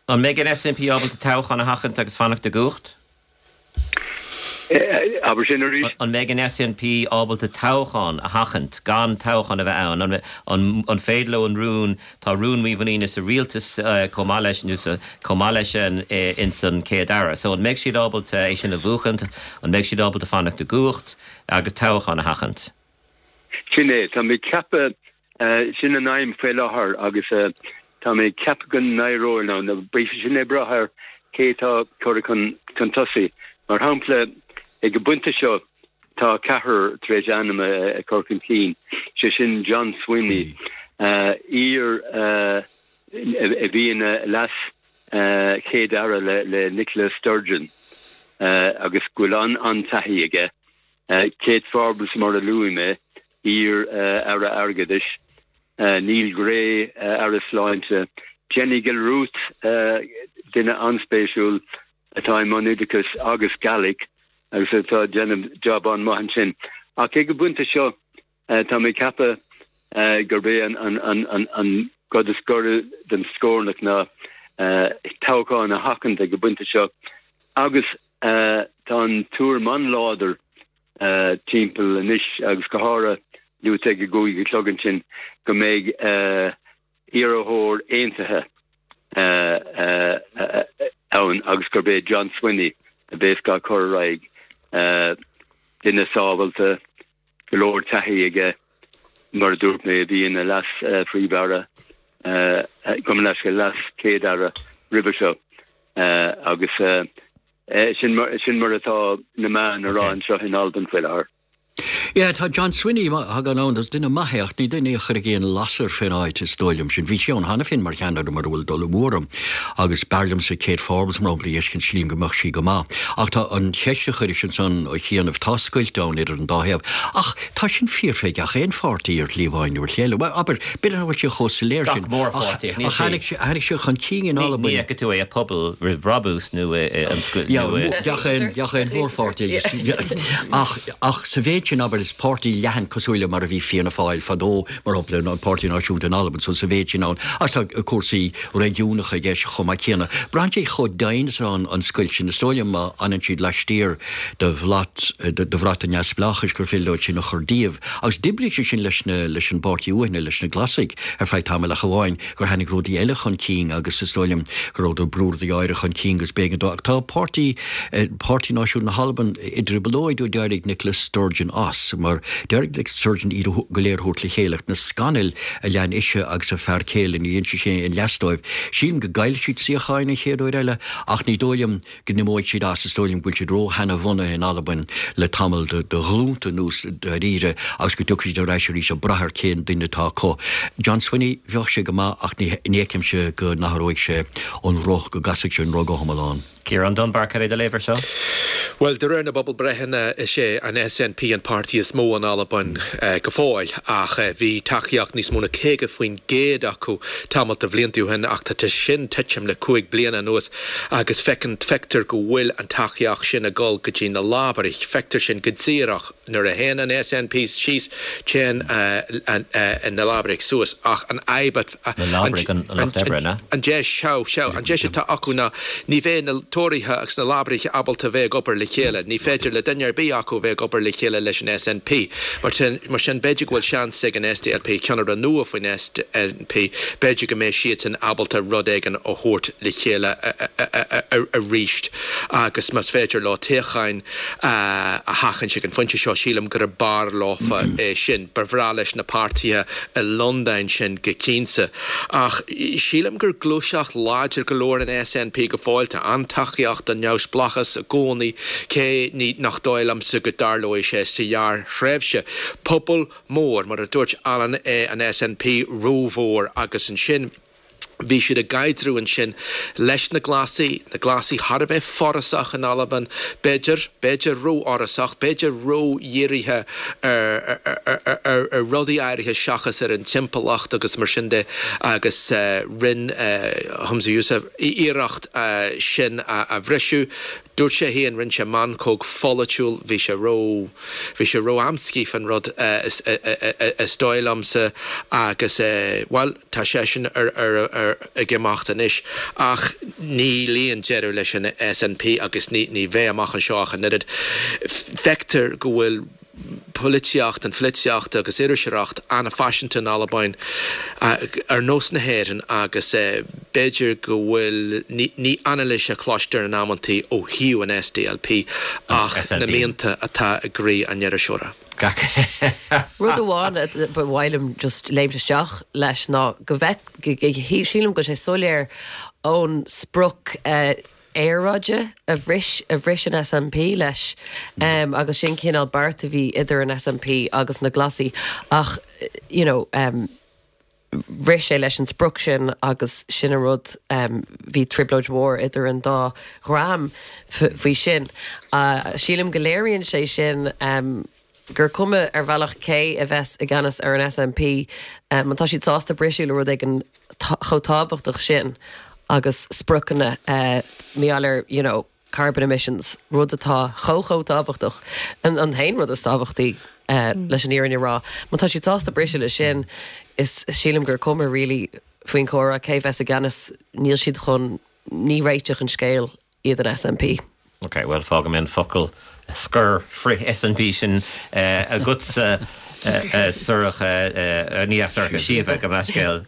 Speaker 1: An mbeidh an SNP ábalta toghchán a sheachaint agus fanacht i gcumhacht?
Speaker 6: Abair sin arís.
Speaker 1: An mbeidh an SNP ábalta toghchán a sheachaint, gan toghchán a bheith ann? An féidir leo an rún, tá rún mímhuiníne sa rialtas chomh maith leis, nó sa, chomh maith leis an, ins an Chéad-Aire. So an mbeidh siad ábalta é sin a bhuachaint? An mbeidh siad ábalta fanacht i gcumhacht agus toghchán a sheachaint?
Speaker 6: Sin é. Tá mé ag ceapadh, sin an aidhm faoi láthair agus tá mé ag ceapadh go n-éireoidh leo. Nó beidh sé sin ag brath ar cé atá curtha chun tosaigh. Mar shampla, ag an bpointe seo tá ceathrar tar éis ainm a chur chun cinn, sé sin John Swinney, iar a bhí ina leas Chéad-Aire le Nicola Sturgeon agus go bhfuil an-taithí aige. Kate Forbes, mar a luaigh mé, iar-Aire Airgeadais, Neil Gray, Aire Sláinte, Jenny Gilruth, duine an-spéisiúil atá i mbun oideachais agus Gaelic agus atá ag déanamh jab an-mhaith ansin. Ach ag an bpointe seo, tá mé ag ceapadh gurb é an rud is gaire don scornach ná toghchán a sheachaint ag an bpointe seo agus Tá an tuairim an-láidir timpeall anois, agus go háirithe luaite ag a gcúig a chlog ansin, go mbeidh iarrthóir aontaithe ann agus gurb é John Swinney a bheas á chur ar aghaidh. Duine sábháilte, go leor taithí aige, mar a dúirt mé, a bhí ina leas-phríomh-aire, gabh mo leithscéal, leas-chéad-aire roimhe seo agus sin mar atá na meáin a rá anseo in Albain faoi láthair.
Speaker 5: Yeah, tá John Swinney, má thagann ann, is duine maith é ach ní duine é a chuirfeadh aon lasair fén áit, is dóigh liom sin. Bhí sé ann cheana féin mar cheannaire mura bhfuil dul amú orm agus b'fhearr liomsa Kate Forbes mar shampla a fheiscint, sílim go mbeadh sí go maith. Ach tá an cheist a chuiris ansan a chianaibh, tá scoilt ann idir an dá thaobh. Ach tá sin fíor fé gach aon pháirtí ar shlí amháin nó ar shlí eile. Bhuel, abair, b'fhéidir nach bhfuil sé chomh soiléir
Speaker 1: sin, Gach mórpháirtí, ach níl
Speaker 5: sé. Tháinig sé, tháinig sé chun cinn in
Speaker 1: Ní, ní Albain. fheicfidh tú é i Pobal roimh Brabús nó i, i, an scoil,
Speaker 5: Yeah, nó i. gach aon, gach aon mhórpháirtí. Ach, ach sa mhéid sin, abair, is páirtí leathan cosúil le mar a bhí Fianna Fáil fadó, mar shampla, an Páirtí Náisiúnta in Albain, so sa mhéid sin ann, agus tá cúrsaí réigiúnacha i gceist chomh maith céanna. Braitheann sé chomh doimhin is atá an scoilt sin. Is dóigh liom má fhanann siad laistiar de bhlat, de bhrat an neamhspleáchais gur féidir leo sin a chur díobh. Agus d'oibrigh sé sin leis na, leis an bpáirtí uaithne, leis na Glasaigh ar feadh tamaill ach amháin gur tháinig rudaí eile chun cinn agus is dóigh liom go rabhadar ag brú rudaí áirithe chun cinn agus b'éigean dó. Ach tá páirtí, Páirtí Náisiúnta na hAlban i dtrioblóid ó d'éirigh Nicola Sturgeon as, mar d'éirigh le Sturgeon iad go léir a thabhairt le chéile ach na scannail a lean ise agus a fear céile, ní dhein sé sin aon leas dóibh. Sílim go gcaillfidh siad suíocháin an chéad uair eile ach ní dóigh liom go n-imeoidh siad as. Is dóigh liom go bhfuil siad ró-sheanabhunaithe in Albain le tamall de ghlúnta anuas dáiríre agus go dtiocfaidh siad ar ais arís ag brath ar cén duine atá acu. John Swinney, bheadh sé go maith ach ní fheicimse go n-athróidh sé an roth, go gcasfaidh sé an roth go hiomlán.
Speaker 1: Ciarán Dunbar, cad é do léamh ar seo?
Speaker 2: Bhuel, de réir na bpobalbreitheanna, is é an SNP an páirtí is mó in Albain go fóill, ach bhí tacaíocht níos mó na 50% acu tamall de bhlianta ó shin, ach tá sin titim le 5 bliana anuas agus feiceann, feictear go bhfuil an tacaíocht sin ag dul go dtí na Lábaraigh. Feictear sin go díreach nuair a théann an SNP síos, téann na Lábaraigh suas, ach an fhadhb
Speaker 1: Na Lábaraigh, an Lucht Oibre, an ea?
Speaker 2: An deis, sea, sea, an deis atá acu ná ní bheidh na Tóraithe agus na Lábaraigh ábalta bheith ag obair le. le chéile. Ní féidir le duine ar bith acu a bheith ag obair le chéile leis an SNP. Mar sin, mar sin b'fhéidir go bhfuil seans ag an SDLP, ceannaire nua faoin SNP, b'fhéidir go mbeidh siadsan ábalta rud éigin a thabhairt le chéile arís agus más féidir leo toghcháin a sheachaint ag an phointe seo, sílim gurb fhearr leofa é sin. Ba bhreá leis na páirtithe i Londain sin go cinnte. Ach sílim gur gluaiseacht láidir go leor an SNP go fóill. Tá an-tacaíocht don neamhspleáchas i gcónaí, cé nach dóigh liomsa go dtarlóidh sé sa ghearrthréimhse. Pobal mór, mar a dúirt Alan, é an SNP, rómhór agus ansin. Bhí siad ag caidreamh ansin leis na Glasaigh, na Glasaigh thar a bheith forásach in Albain, b'fhéidir, b'fhéidir rófhorásach, b'fhéidir ródhírithe ar, ar, ar rudaí áirithe seachas ar an timpeallacht agus mar sin de agus rinne Humza Yousaf iarracht sin a bhriseadh. Dúirt sé féin, rinne sé meancóg pholaitiúil, bhí sé ró, bhí sé ró-amscaí fán rud is dóigh liomsa agus bhuel, tá seisean ar, ar, ar, ag imeacht anois ach níl aon deireadh leis an SNP agus ní, ní bheidh amach anseo ach an oiread. Feictear go bhfuil polaitíocht, an pholaitíocht agus iriseoireacht an-fhaiseanta in Albain, ar nós na hÉireann agus b'fhéidir go bhfuil, ní anailís a chloistear in amantaí ó thaobh an SDLP ach na mianta atá i gcroí an iriseora.
Speaker 3: Rud amháin ba mhaith liom just léimt isteach leis ná go bhfeic, sílim go bhfuil sé soiléir ón sprioc aeráide a bhris a bhris an SNP leis agus sin cineál beart a bhí idir an SNP agus na Glasaigh ach you know bhris sé leis an sprioc sin agus sin an rud bhí trioblóid mhór idir an dá dhream faoi sin. Sílim go léiríonn sé sin gur cuma ar bhealach cé a bheas i gceannas ar an SNP, má tá siad sásta briseadh le rud éigin chomh tábhachtach sin agus spriocanna mar gheall ar you know carbon emissions, rud atá chomh chomh tábhachtach, an t-aon rud is tábhachtaí leis an fhírinne a rá. Má tá siad sásta briseadh le sin, is sílim gur cuma really faoin chomhrá cé bheas i gceannas, níl siad chun, ní réiteach an scéil iad an SNP.
Speaker 1: Ok, bhuel fágfaidh mé an focal scoir frith-SNP sin agatsa a Shorcha, ní a Shorcha, Síomha, gabh mo leithscéal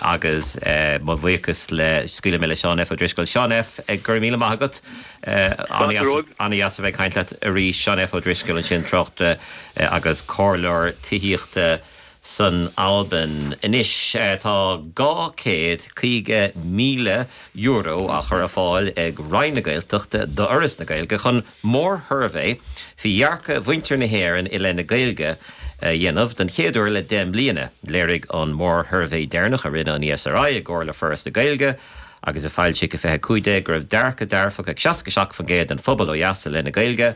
Speaker 1: agus mo bhuíochas le, scaoilfidh mé le Seán F. Ó Drisceoil. Seán F, go raibh míle maith agat. An-dheas a bheith ag caint leat arís. Seán F. Ó Drisceoil ansin, tráchtaire agus comhairleoir tithíochta. San Albain anois tá €250,000 á chur ar fáil ag Roinn na Gaeltachta d'Fhoras na Gaeilge chun mórshuirbhé faoi dhearcadh mhuintir na hÉireann i leith na Gaeilge a dhéanamh don chéad uair le 10 mbliana. Léirigh an mórshuirbhé deireanach a rinne an ESRI i gcomhar le Foras na Gaeilge agus a foilsíodh i 2015 go raibh dearcadh dearfach ag 67% den phobal ó dheas i leith na Gaeilge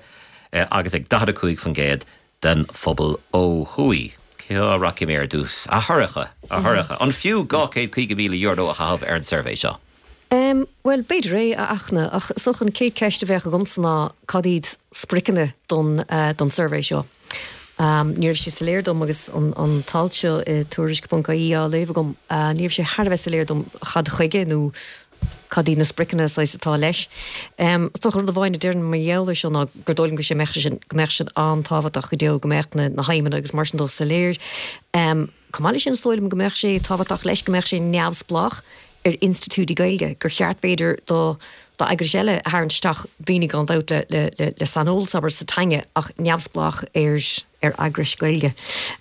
Speaker 1: agus ag 45% den phobal ó thuaidh. Cá rachaidh mé ar dtús? A Shorcha, a Shorcha, an fiú €250,000 a chaitheamh ar an suirbhé seo?
Speaker 4: Em, bhuel, b'fhéidir é, a Fhachtna, ach is dócha an chéad cheist a bheadh agamsa ná cad iad spriocanna don, don suirbhé seo? Ní raibh sé soiléir dom agus an, an t-alt seo i Tuairisc.ie á léamh agam, ní raibh sé thar a bheith soiléir dom cad chuige nó cad iad na spriocanna saghas atá leis. Is dócha rud amháin a déarfainn mar gheall air seo ná gur dóigh liom go sé mbeadh sé sin, go mbeadh sin an-tábhachtach go deo go mbeadh na na haidhmeanna agus mar sin dó soiléir. Chomh maith leis sin is dóigh liom go mbeadh sé tábhachtach leis go mbeadh sé neamhspleách ar institiúidí Gaeilge, gur cheart b'fhéidir do do eagrais eile a tharraingt isteach, daoine gan dabht le le le le saineolas abair sa teanga ach neamhspleách ar ar eagrais Gaeilge.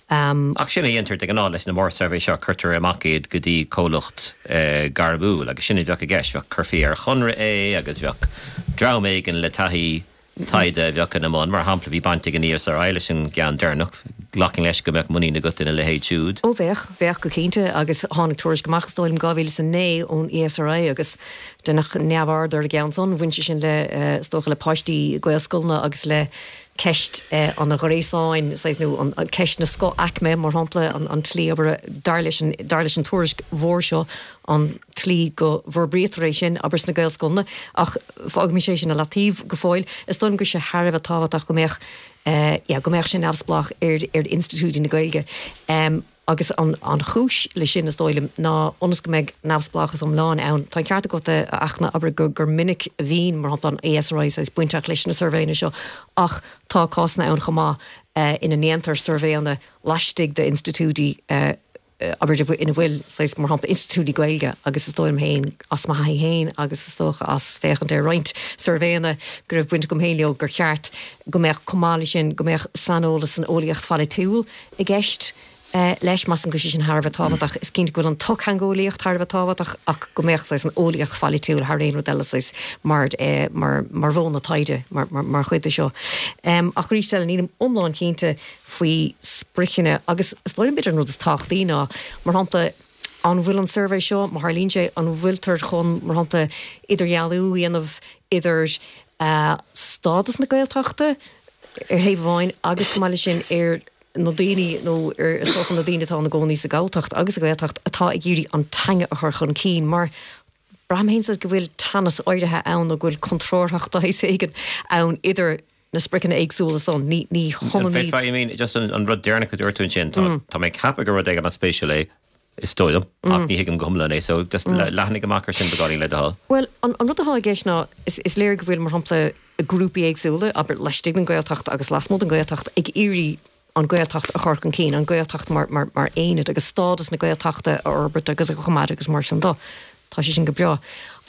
Speaker 1: Ach sin a dhéantar de ghnáth leis na mórsuirbhé seo, cuirtear amach iad go dtí comhlacht gairmiúil agus sin a bheadh i gceist, bheadh, chuirfí ar chonradh é agus bheadh dream éigin le taithí taighde a bheadh ina mbun. Mar shampla, bhí baint ag an ESRI leis an gceann deireanach, glacaim leis go mbeadh muinín agat ina leithéid siúd.
Speaker 4: Ó bheadh, bheadh go cinnte agus tháinig tuairisc amach is dóigh liom 2009 ón ESRI agus deineadh neamhaird ar an gceann san, bhain sé sin le, is dócha le páistí Gaelscoileanna agus le ceist an ghréasáin, saghas, nó an ceist na scoth-aicme, mar shampla, an tslí, abair, dar leis an, dar leis an tuairisc mhór seo, an tslí go bhforbraítear é sin, abair, sna Gaelscoileanna. Ach fágaimis é sin i leataobh go fóill. Is dóigh liom go raibh sé thar a bheith tábhachtach go mbeadh, yeah, go mbeadh sé neamhspleách ar, ar institiúidí na Gaeilge. Agus an chúis leis sin, is dóigh liom, ná ionas go mbeidh neamhspleáchas iomlán ann. Tá an ceart agat, a Fhachtna, abair, gur minic a bhíonn, mar shampla, an ESRI saghas bainteach leis na suirbhéanna seo ach tá cásanna ann chomh maith ina ndéantar suirbhéanna laistigh d'institiúidí, abair, ina bhfuil, saghas, mar shampla, institiúidí Gaeilge agus is dóigh liom féin, as mo thaithí féin agus is dócha as féachaint ar roinnt suirbhéanna go raibh baint agam féin leo, gur cheart go mbeadh, chomh maith leis sin, go mbeadh saineolas san eolaíocht pholaitiúil i gceist leis. Measaim go bhfuil sé sin thar a bheith tábhachtach. Is cinnte go bhfuil an tsochtheangeolaíocht thar a bheith tábhachtach ach go mbeadh, saghas, an eolaíocht pholaitiúil thar aon rud eile, saghas, mar, mar, mar mhodhanna taighde, mar, mar, mar chuid de seo. Ach arís eile, nílim iomlán cinnte faoi spriocanna agus is dóigh liom b'fhéidir an rud is tábhachtaí ná, mar shampla, an bhfuil an suirbhé seo, má tharlaíonn sé, an bhfuiltear chun, mar shampla, idirdhealú a dhéanamh idir stádas na Gaeltachta ar thaobh amháin agus chomh maith leis sin ar na daoine nó ar is dócha na daoine atá ina gcónaí sa Ghalltacht agus sa Ghaeltacht atá ag iarraidh an teanga a chur chun cinn mar braithim féin go bhfuil teannas áirithe ann nó go bhfuil contrárthacht de shaghas éigin ann idir na spriocanna éagsúla san. Ní hionann iad.
Speaker 1: I mean, just an rud deireanach a dúirt tú ansin, tá mé ag ceapadh gur rud éigin an-spéisiúil é, is dóigh liom, ach ní thuigim go hiomlán é, so just leathnaigh amach ar sin beagáinín le do thoil.
Speaker 4: Bhuel, an rud atá i gceist ná, is léir go bhfuil, mar shampla, grúpaí éagsúla, abair, laistigh den Ghaeltacht agus lasmuigh den Ghaeltacht, ag iarraidh an Ghaeltacht a chur chun cinn, an Ghaeltacht mar aonad agus stádas na Gaeltachta a fhorbairt agus a choimeád agus mar sin de. Tá sé sin go breá.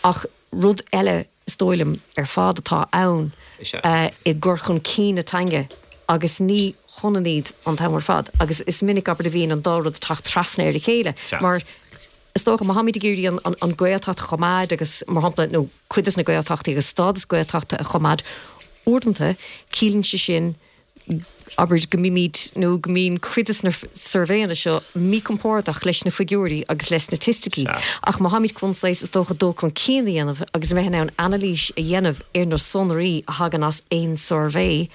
Speaker 4: Ach rud eile, is dóigh liom, ar fad atá ann i gcur chun cinn na teanga agus ní hionann iad an t-am ar fad agus is minic, abair, a bhíonn an dá rud ag teacht trasna ar a chéile mar is dócha má táimid ag iarraidh an Ghaeltacht a choimeád agus, mar shampla, nó cuid de na Gaeltachtaí agus stádas Gaeltachta a choimeád, uaireanta ciallaíonn sé sin abair, go mbímid, nó go mbíonn cuid de na suirbhéanna seo míchompordach leis na figiúirí agus leis na staitisticí. Ach má tháimid chun saghas, is dócha, dul chun cinn a dhéanamh agus a bheith in ann anailís a dhéanamh ar na sonraí a thagann as aon suirbhé,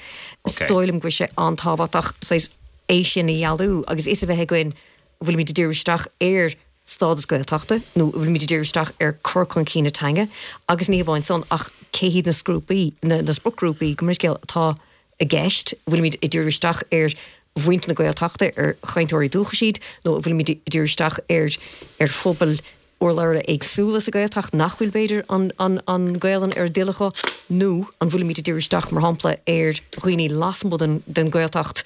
Speaker 4: is dóigh liom go bhfuil sé an-tábhachtach saghas é sin a dhealú agus fhios a bheith againn an bhfuilimid ag díriú isteach ar stádas Gaeltachta nó an bhfuilimid ag díriú isteach ar cur chun cinn na teanga agus ní hamháin san ach cé hiad na sgrúpaí, na spriocghrúpaí, gabh mo leithscéal, atá i gceist, an bhfuilimid ag díriú isteach ar mhuintir na Gaeltachta, ar chainteoirí dúchais iad, nó an bhfuilimid ag díriú isteach ar ar phobail urlabhra éagsúla sa Ghaeltacht nach bhfuil, b'fhéidir, an an an Ghaelainn ar a dtoil acu, nó an bhfuilimid ag díriú isteach, mar shampla, ar dhaoine lasmuigh den den Ghaeltacht,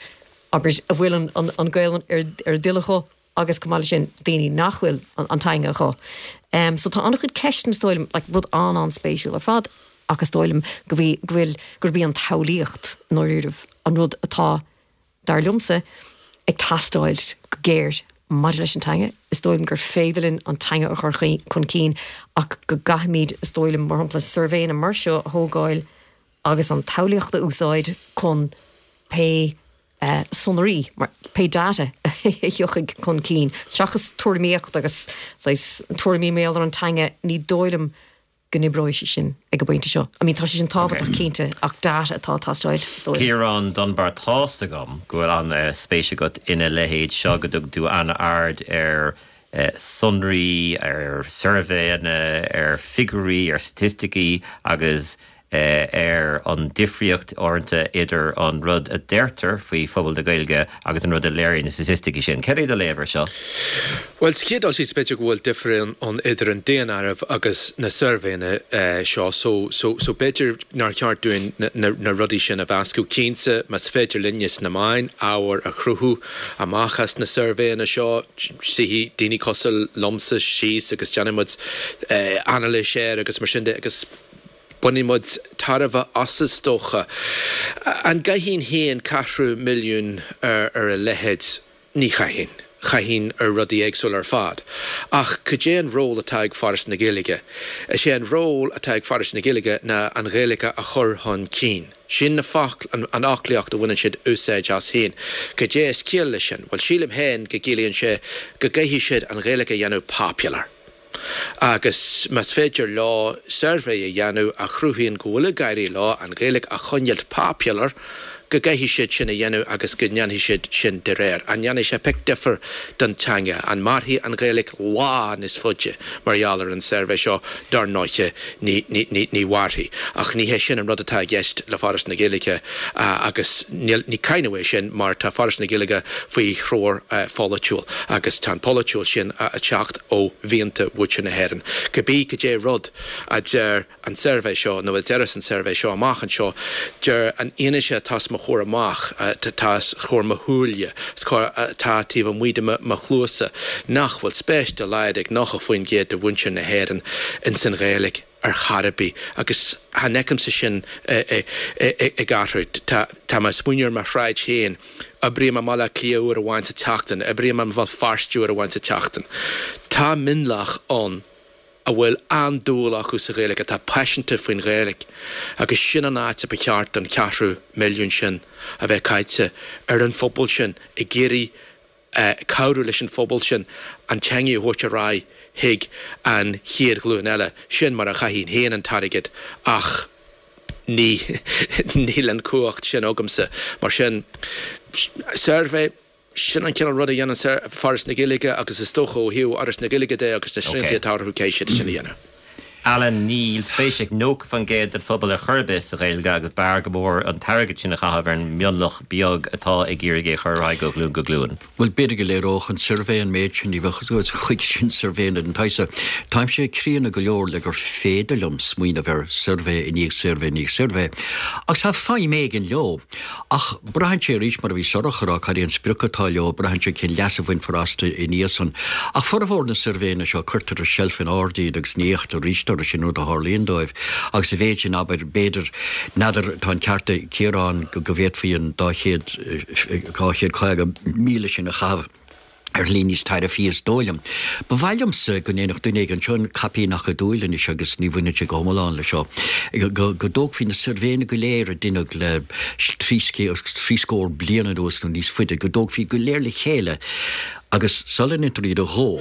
Speaker 4: abair, a bhfuil an an an Ghaelainn ar ar a dtoil acu agus chomh maith leis sin, daoine nach bhfuil an an teanga acu. So tá an-chuid ceisteanna, is dóigh liom, like, rud an-an-spéisiúil ar fad ach is dóigh liom go bhí, go bhfuil, gurb í an tsamhlaíocht, i ndáiríribh, an rud atá, dar liomsa, ag teastáil go géar maidir leis an teanga. Is dóigh liom gur féidir linn an teanga a chur chun cinn ach go gcaithfimid, is dóigh liom, mar shampla, suirbhéanna mar seo a thógáil agus an tsamhlaíocht a úsáid chun pé sonraí, pé data a thiocfaidh chun cinn, seachas tuairimíocht agus saghas tuairimí mar gheall ar an teanga, ní dóigh liom go n-oibreoidh sé sin ag an bpointe seo. I mean, tá sé sin tábhachtach cinnte, ach data atá ag teastáil, is
Speaker 1: dóigh liom. Ciarán Dunbar, Tá's agam go bhfuil an-spéis agat ina leithéid seo, go dtug tú an-aird ar sonraí, ar suirbhéanna, ar figiúirí, ar staitisticí agus ar an difríocht uaireanta idir an rud a deirtear faoi phobal na Gaeilge agus an rud a léiríonn na staitisticí sin. Cad é do léamh air seo?
Speaker 2: Bhuel, sa chéad dul síos, b'fhéidir go bhfuil difear ann idir an daonáireamh agus na suirbhéanna seo, so, so, so b'fhéidir nár cheart dúinn na rudaí sin a mheascadh. Cinnte, más féidir linne sna meáin ábhar a chruthú amach as na suirbhéanna seo, suífidh daoine cosúil liomsa síos agus déanfaidh muid anailís air agus mar sin de agus, Bainfidh muid tairbhe as is dócha. An gcaithfinn féin ceathrú milliún ar a leithéid? Ní chaithfinn. Chaithfinn ar rudaí éagsúla ar fad. Ach cad é an ról atá ag Foras na Gaeilge? Is é an ról atá ag Foras na Gaeilge ná an Ghaeilge a chur chun cinn. Sin na foc, an fhoclaíocht a bhaineann siad úsáid as féin. Cad é is ciall leis sin? Bhuel, sílim féin go gciallaíonn sé go gcaithfidh siad an Ghaeilge a dhéanamh popular. Agus más féidir leo suirbhé a dhéanamh a chruthaíonn go bhfuil ag éirí leo an Ghaeilge a choinneáilt popular, go gcaithfidh siad sin a dhéanamh agus go ndéanfaidh siad sin de réir. An ndéanfaidh sé pioc difear don teanga? An mairfidh an Ghaeilge lá níos faide mar gheall ar an suirbhé seo? Dar ndóiche ní, ní, ní, ní mhairfidh. Ach ní hé sin an rud atá i gceist le Foras na Gaeilge agus níl, ní cáineadh é sin mar tá Foras na Gaeilge faoi threoir pholaitiúil agus tá an polaitiúil sin ag teacht ó mhianta mhuintir na hÉireann. Cibé cad é rud a deir an suirbhé seo, nó a déarfas an suirbhé seo amach anseo, deir an fhianaise atá os mo chomhair amach, atá os comhair mo shúile, atá taobh amuigh de mo chluasa, nach bhfuil spéis dá laghad ag 90% de mhuintir na hÉireann ins an Ghaeilge ar chor ar bith. Agus chan fheicimse sin ag athrú. Tá mé ag smaoineamh ar mo shráid féin, oibrím i mBaile Átha Cliath uair amháin sa tseachtain, oibrím i mBéal Feirste uair amháin sa tseachtain. Tá mionlach ann a bhfuil an-dúil acu sa Ghaeilge, atá paiseanta faoin Ghaeilge, agus sin an áit a ba cheart don cheathrú milliún sin a bheith caite, ar an phobal sin, ag iarraidh cabhrú leis an phobal sin an teanga a thabhairt ar aghaidh chuig an chéad ghlúin eile. Sin mar a chaithfinn féin an t-airgead, ach ní, níl an chumhacht sin agamsa. Mar sin, suirbhé. Sin an cineál rud a dhéanann Foras na Gaeilge agus is dócha ó thaobh Fhoras na Gaeilge de agus na srianta atá orthu caithfidh siad sin a dhéanamh.
Speaker 1: Alan, Níl spéis ag 90% den phobal ar chor ar bith sa Ghaeilge agus b'fhearr go mór an t-airgead sin a chaitheamh ar an mionlach beag atá ag iarraidh é a chur ar aghaidh ó ghlúin go glúin.
Speaker 5: Bhuel, b'fhéidir go léireodh an suirbhé an méid sin, ní bheadh a fhios agat chuige sin suirbhéanna den tsaghas seo. Táimse críonna go leor le gur féidir liom smaoineamh ar suirbhé i ndiaidh suirbhé i ndiaidh suirbhé, agus tá feidhm éigin leo. Ach braitheann sé arís, mar a bhí Sorcha ag rá, cad é an sprioc atá leo, braitheann sé cén leas a bhainfear astu i ndiaidh san. Ach formhór na suirbhéanna seo, cuirtear ar seilf in airde iad agus ní fhéachtar arís orthu, sin rud a tharlaíonn dóibh. Agus sa mhéid sin, abair, b'fhéidir, n'fheadar, tá an ceart ag Ciarán go bhféadfaí an 200, 250,000 sin a chaitheamh. ar shlí níos tairbhí is dóigh liom. Ba mhaith liomsa go ndéanfadh duine éigin, seo an caipín acadúil anois agus ní bhaineann sé go hiomlán le seo, go dtógfaí na suirbhéanna go léir a deineadh le trí scór bliain anuas nó níos faide, go dtógfaí go léir le chéile agus sula ndéantar iad a dhó,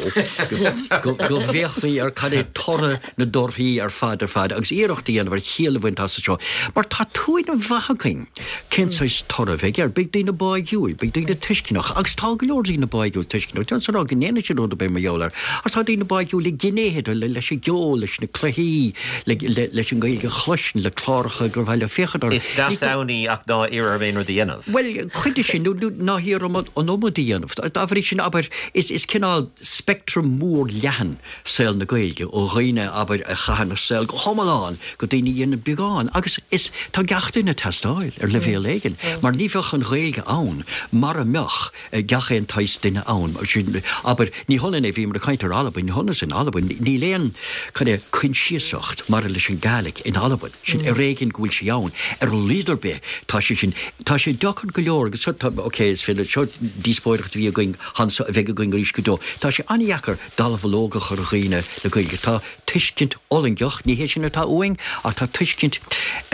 Speaker 5: go bhféachfaí ar cad é toradh na dtorthaí ar fad ar fad agus iarracht a dhéanamh ar chiall a bhaint as seo mar tá tuairim mhaith againn. Cén saghas toradh a bheidh air? Beidh daoine báigiúil, beidh daoine tuisceanach, agus tá go leor daoine báigiúil tuisceanach, déanfar a rá go ndéanann siad rud ar bith mar gheall air, ach tá daoine báigiúil le gnéithe de, leis an gceol, leis na cluichí, leis an nGaeilge a chloisint, le cláracha gur mhaith leo féachaint orthu.
Speaker 1: Is deas ann í ach ná iarr orm aon rud a dhéanamh.
Speaker 5: Bhuel, cuid de sin, nó ná hiarr orm an iomad a dhéanamh. Dá bhrí sin, abair, is cineál speictream mór leathan saol na Gaeilge, ó dhaoine, abair, a chaitheann a saol go hiomlán go daoine a dhéanann beagán agus is, tá gach duine ag teastáil ar leibhéal éigin mar ní bheadh an Ghaeilge ann mara mbeadh gach aon tsaghas duine ann. Sin, abair, ní hionann é, bhíomar ag caint ar Albain, ní hionann is in Albain, níl aon, cad é, coinsiasacht mar leis an Gàidhlig in Albain, sin ar éigean go bhfuil sí ann, ar a laghad ar bith tá sé sin, tá sé deacair go leor agus seo, tá, ok, is féidir, seo díospóireacht a bhí againn anso a bheidh againn arís go deo, tá sé an-dheacair dallamhullóg a chur ar dhaoine le Gaeilge. Tá tuiscint fhulaingeach, ní hé sin atá uainn, ach tá tuiscint,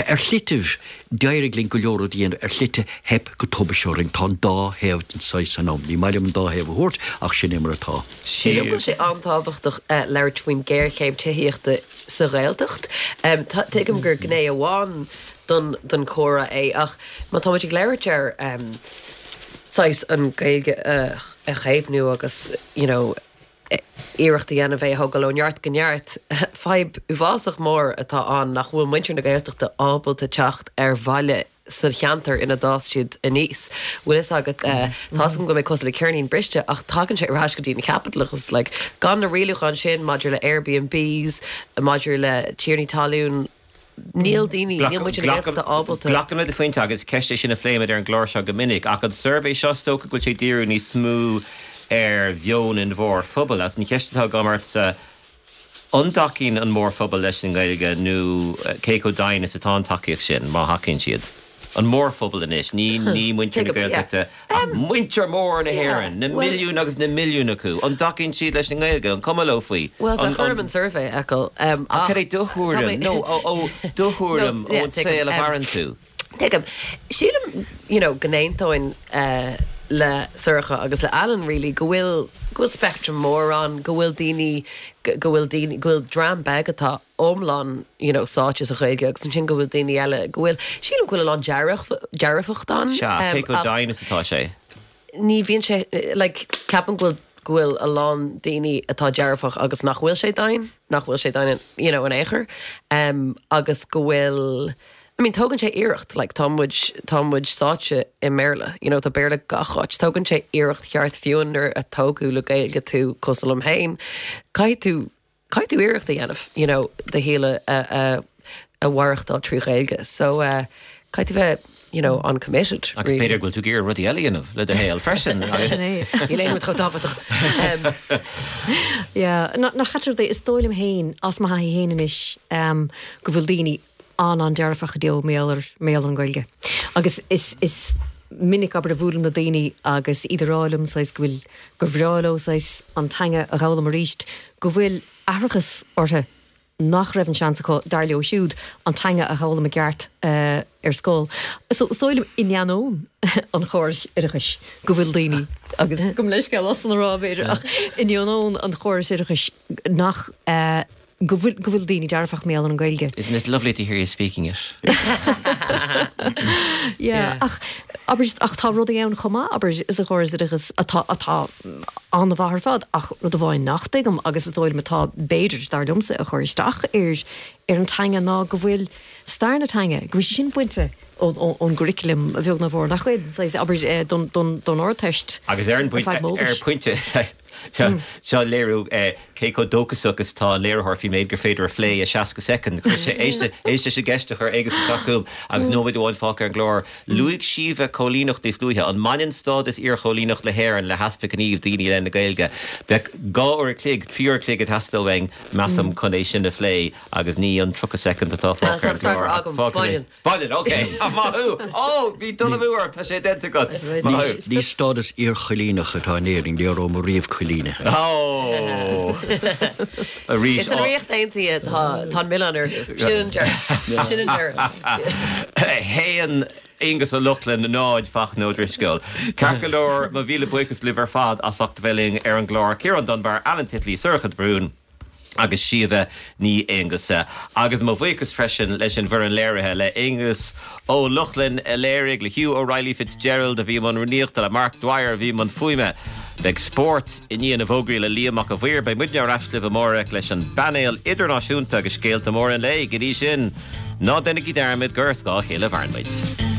Speaker 5: ar shlitibh d'éirigh linn go leor rud a dhéanamh, ar shlite theip go tubaiste orainn. Tá an dá thaobh den saghas san ann. Ní maith liom an dá thaobh a thabhairt, ach sin é mar atá.
Speaker 3: Sílim go bhfuil sé an-tábhachtach labhairt faoin ghéarchéim tithíochta sa Ghaeltacht. Tuigim gur gné amháin don chomhrá é ach má tá muid ag labhairt ar saghas an Ghaeilge a chaomhnú agus you know iarracht a dhéanamh é a thógáil ó neart go neart, fadhb uafásach mór atá ann nach bhfuil muintir na Gaeltachta ábalta teacht ar bhaile sa cheantar ina d'fhás siad aníos. Bhfuil fhios agat, tá fhios agam go mbeidh cosúil le ceirnín briste ach tagann sé ar ais go dtí an caipitleachas. Like, gan na rialúcháin sin maidir le Airbnbs, maidir le tiarnaí talún, Níl daoine, níl muintir na Gaeltachta ábalta.
Speaker 1: Glacaim le do phointe agus ceist é sin a phléimid ar an gclár seo go minic, ach an suirbhé seo, is dócha go bhfuil sé ag díriú níos mó ar mheon an mhórphobail. Agus an cheist atá agam ortsa, an dtacaíonn an mórphobal leis an nGaeilge nó cé chomh domhain is atá an tacaíocht sin, má thacaíonn siad? An mórphobal anois, ní ní muintir na Gaeltachta ach muintir mór na hÉireann, na milliúin agus na milliúin acu. An dtacaíonn siad leis an nGaeilge? An cuma leo faoi?
Speaker 3: Bhuel, bheadh orm an suirbhé a fheiceáil.
Speaker 1: Ach cad é do thuairim? No, ó do thuairim ón saol a mhaireann tú.
Speaker 3: Tuigim. Sílim, you know, go n-aontóinn. le Sorcha agus le Alan really go bhfuil go bhfuil spectrum mór ann, go bhfuil daoine go bhfuil daoine go bhfuil dream beag atá iomlán you know sáite sa Ghaeilge agus ansin go bhfuil daoine eile go bhfuil sílim go bhfuil a lán dearfacht ann.
Speaker 1: Sea, cé chomh domhain is atá sé?
Speaker 3: Ní bhíonn sé like ceapaim go bhfuil go bhfuil a lán daoine atá dearfach agus nach bhfuil sé domhain, nach bhfuil sé domhain you know in aon chor agus go bhfuil I mean tógann sé iarracht, like tá muid, tá muid sáite i mBéarla, you know tá Béarla gach áit, tógann sé iarracht cheart fiú nuair a tógadh le Gaeilge tú cosúil liom féin, caithfidh tú, caithfidh tú iarracht a dhéanamh, you know do shaol a, a, a mhaireachtáil trí Ghaeilge. So eh caithfidh tú bheith, you know an-committed
Speaker 1: Agus really. b'fhéidir go bhfuil tú ag iarraidh rudaí eile a dhéanamh le do shaol freisin.
Speaker 4: Sin é.
Speaker 3: Níl aon rud chomh tábhachtach. Em.
Speaker 4: Yeah, nach ait an rud é, is dóigh liom féin, as mo thaithí féin anois, em go bhfuil daoine an-an-dearfach i dtaobh mar gheall ar, mar gheall ar an Ghaeilge. Agus is, is minic, abair, a bhuailim le daoine agus iad ag rá liom saghas go bhfuil, gur bhreá leo saghas an teanga a dh'fhoghlaim arís, go bhfuil aithreachas orthu nach raibh an seans acu, dar leo siúd, an teanga a dh'fhoghlaim i gceart ar scoil. So is dóigh liom, in ainneoin an chórais oideachais, go bhfuil daoine, agus gabh mo leithscéal as san a rá, b'fhéidir, ach in ainneoin an chórais oideachais nach, go bhfuil, go bhfuil daoine dearfach mar gheall ar an Ghaeilge.
Speaker 1: Isn't it lovely to hear you speaking it?
Speaker 4: Yeah, ach, abair, ach tá rudaí ann chomh maith, abair, sa chóras oideachais atá, atá an-mhaith ar fad, ach rud amháin nach dtuigim agus is dóigh liom atá, b'fhéidir, dar liomsa, ag cur isteach ar, ar an teanga ná go bhfuil stair na teanga, go bhfuil sé sin bainte ón, ón, ón gcurriculum, a bheag nó a mhór, nach bhfuil, saghas, abair, don, don, don Ardteist.
Speaker 1: Agus ar an
Speaker 4: ar feadh
Speaker 1: bpointe, ar
Speaker 4: m'eolais.
Speaker 1: pointe, Seo léiriú cé chomh dóchasach is atá an léiritheoir faoin méid gur féidir a phlé i 60 soicind. Chuir sé théis leis an gceist a chuir Aonghus isteach chugam agus nóiméad amháin fágtha ar an gclár. Luaigh Síomha coilíneacht níos luaithe. An mbaineann stádas iarchoilíneach na hÉireann le heaspa gnímh daoine i leith na Gaeilge? Bheadh 2 uair a chloig, 3 uair a chloig ag teastáil uainn, measaim, chun é sin a phlé agus ní an 30 soicind atá fágtha ar an
Speaker 3: Tá an freagra
Speaker 1: gclár.
Speaker 3: agam. Baineann.
Speaker 1: Baineann, ok. Maith thú! Ó, bhí dul amú orm, tá sé déanta agat. Maith thú.
Speaker 5: Ní stádas iarchoilíneach atá in Éirinn, ní rabhamar riamh coilínithe.
Speaker 1: Ó! Arís.
Speaker 3: Is an Ríocht Aontaithe atá tá an milleán orthu. Sin an deireadh. Sin an deireadh.
Speaker 1: 1, Aonghus Ó Lochlainn, 0, Fachtna Ó Drisceoil. Ceart go leor, mo mhíle buíochas libh ar fad as ucht a bheith linn ar an gclár. Ciarán Dunbar, Alan Titley, Sorcha de Brún. agus Síomha Ní Aonghusa. Agus mo bhuíochas freisin leis an bhfoireann léirithe, le Aonghus Ó Lochlainn a léirigh, le Hugh O'Reilly Fitzgerald a bhí i mbun rúnaíochta, le Mark Dwyer a bhí i mbun fuaime. Beidh spórt i ndiaidh na bhfógraí le Liam Mac a' Mhaoir. Beidh muidne ar ais libh amárach leis an bpainéal idirnáisiúnta agus scéalta móra an lae. Go dtí sin, ná déanaigí dearmad gur ar scáth a chéile a mhaireann muid.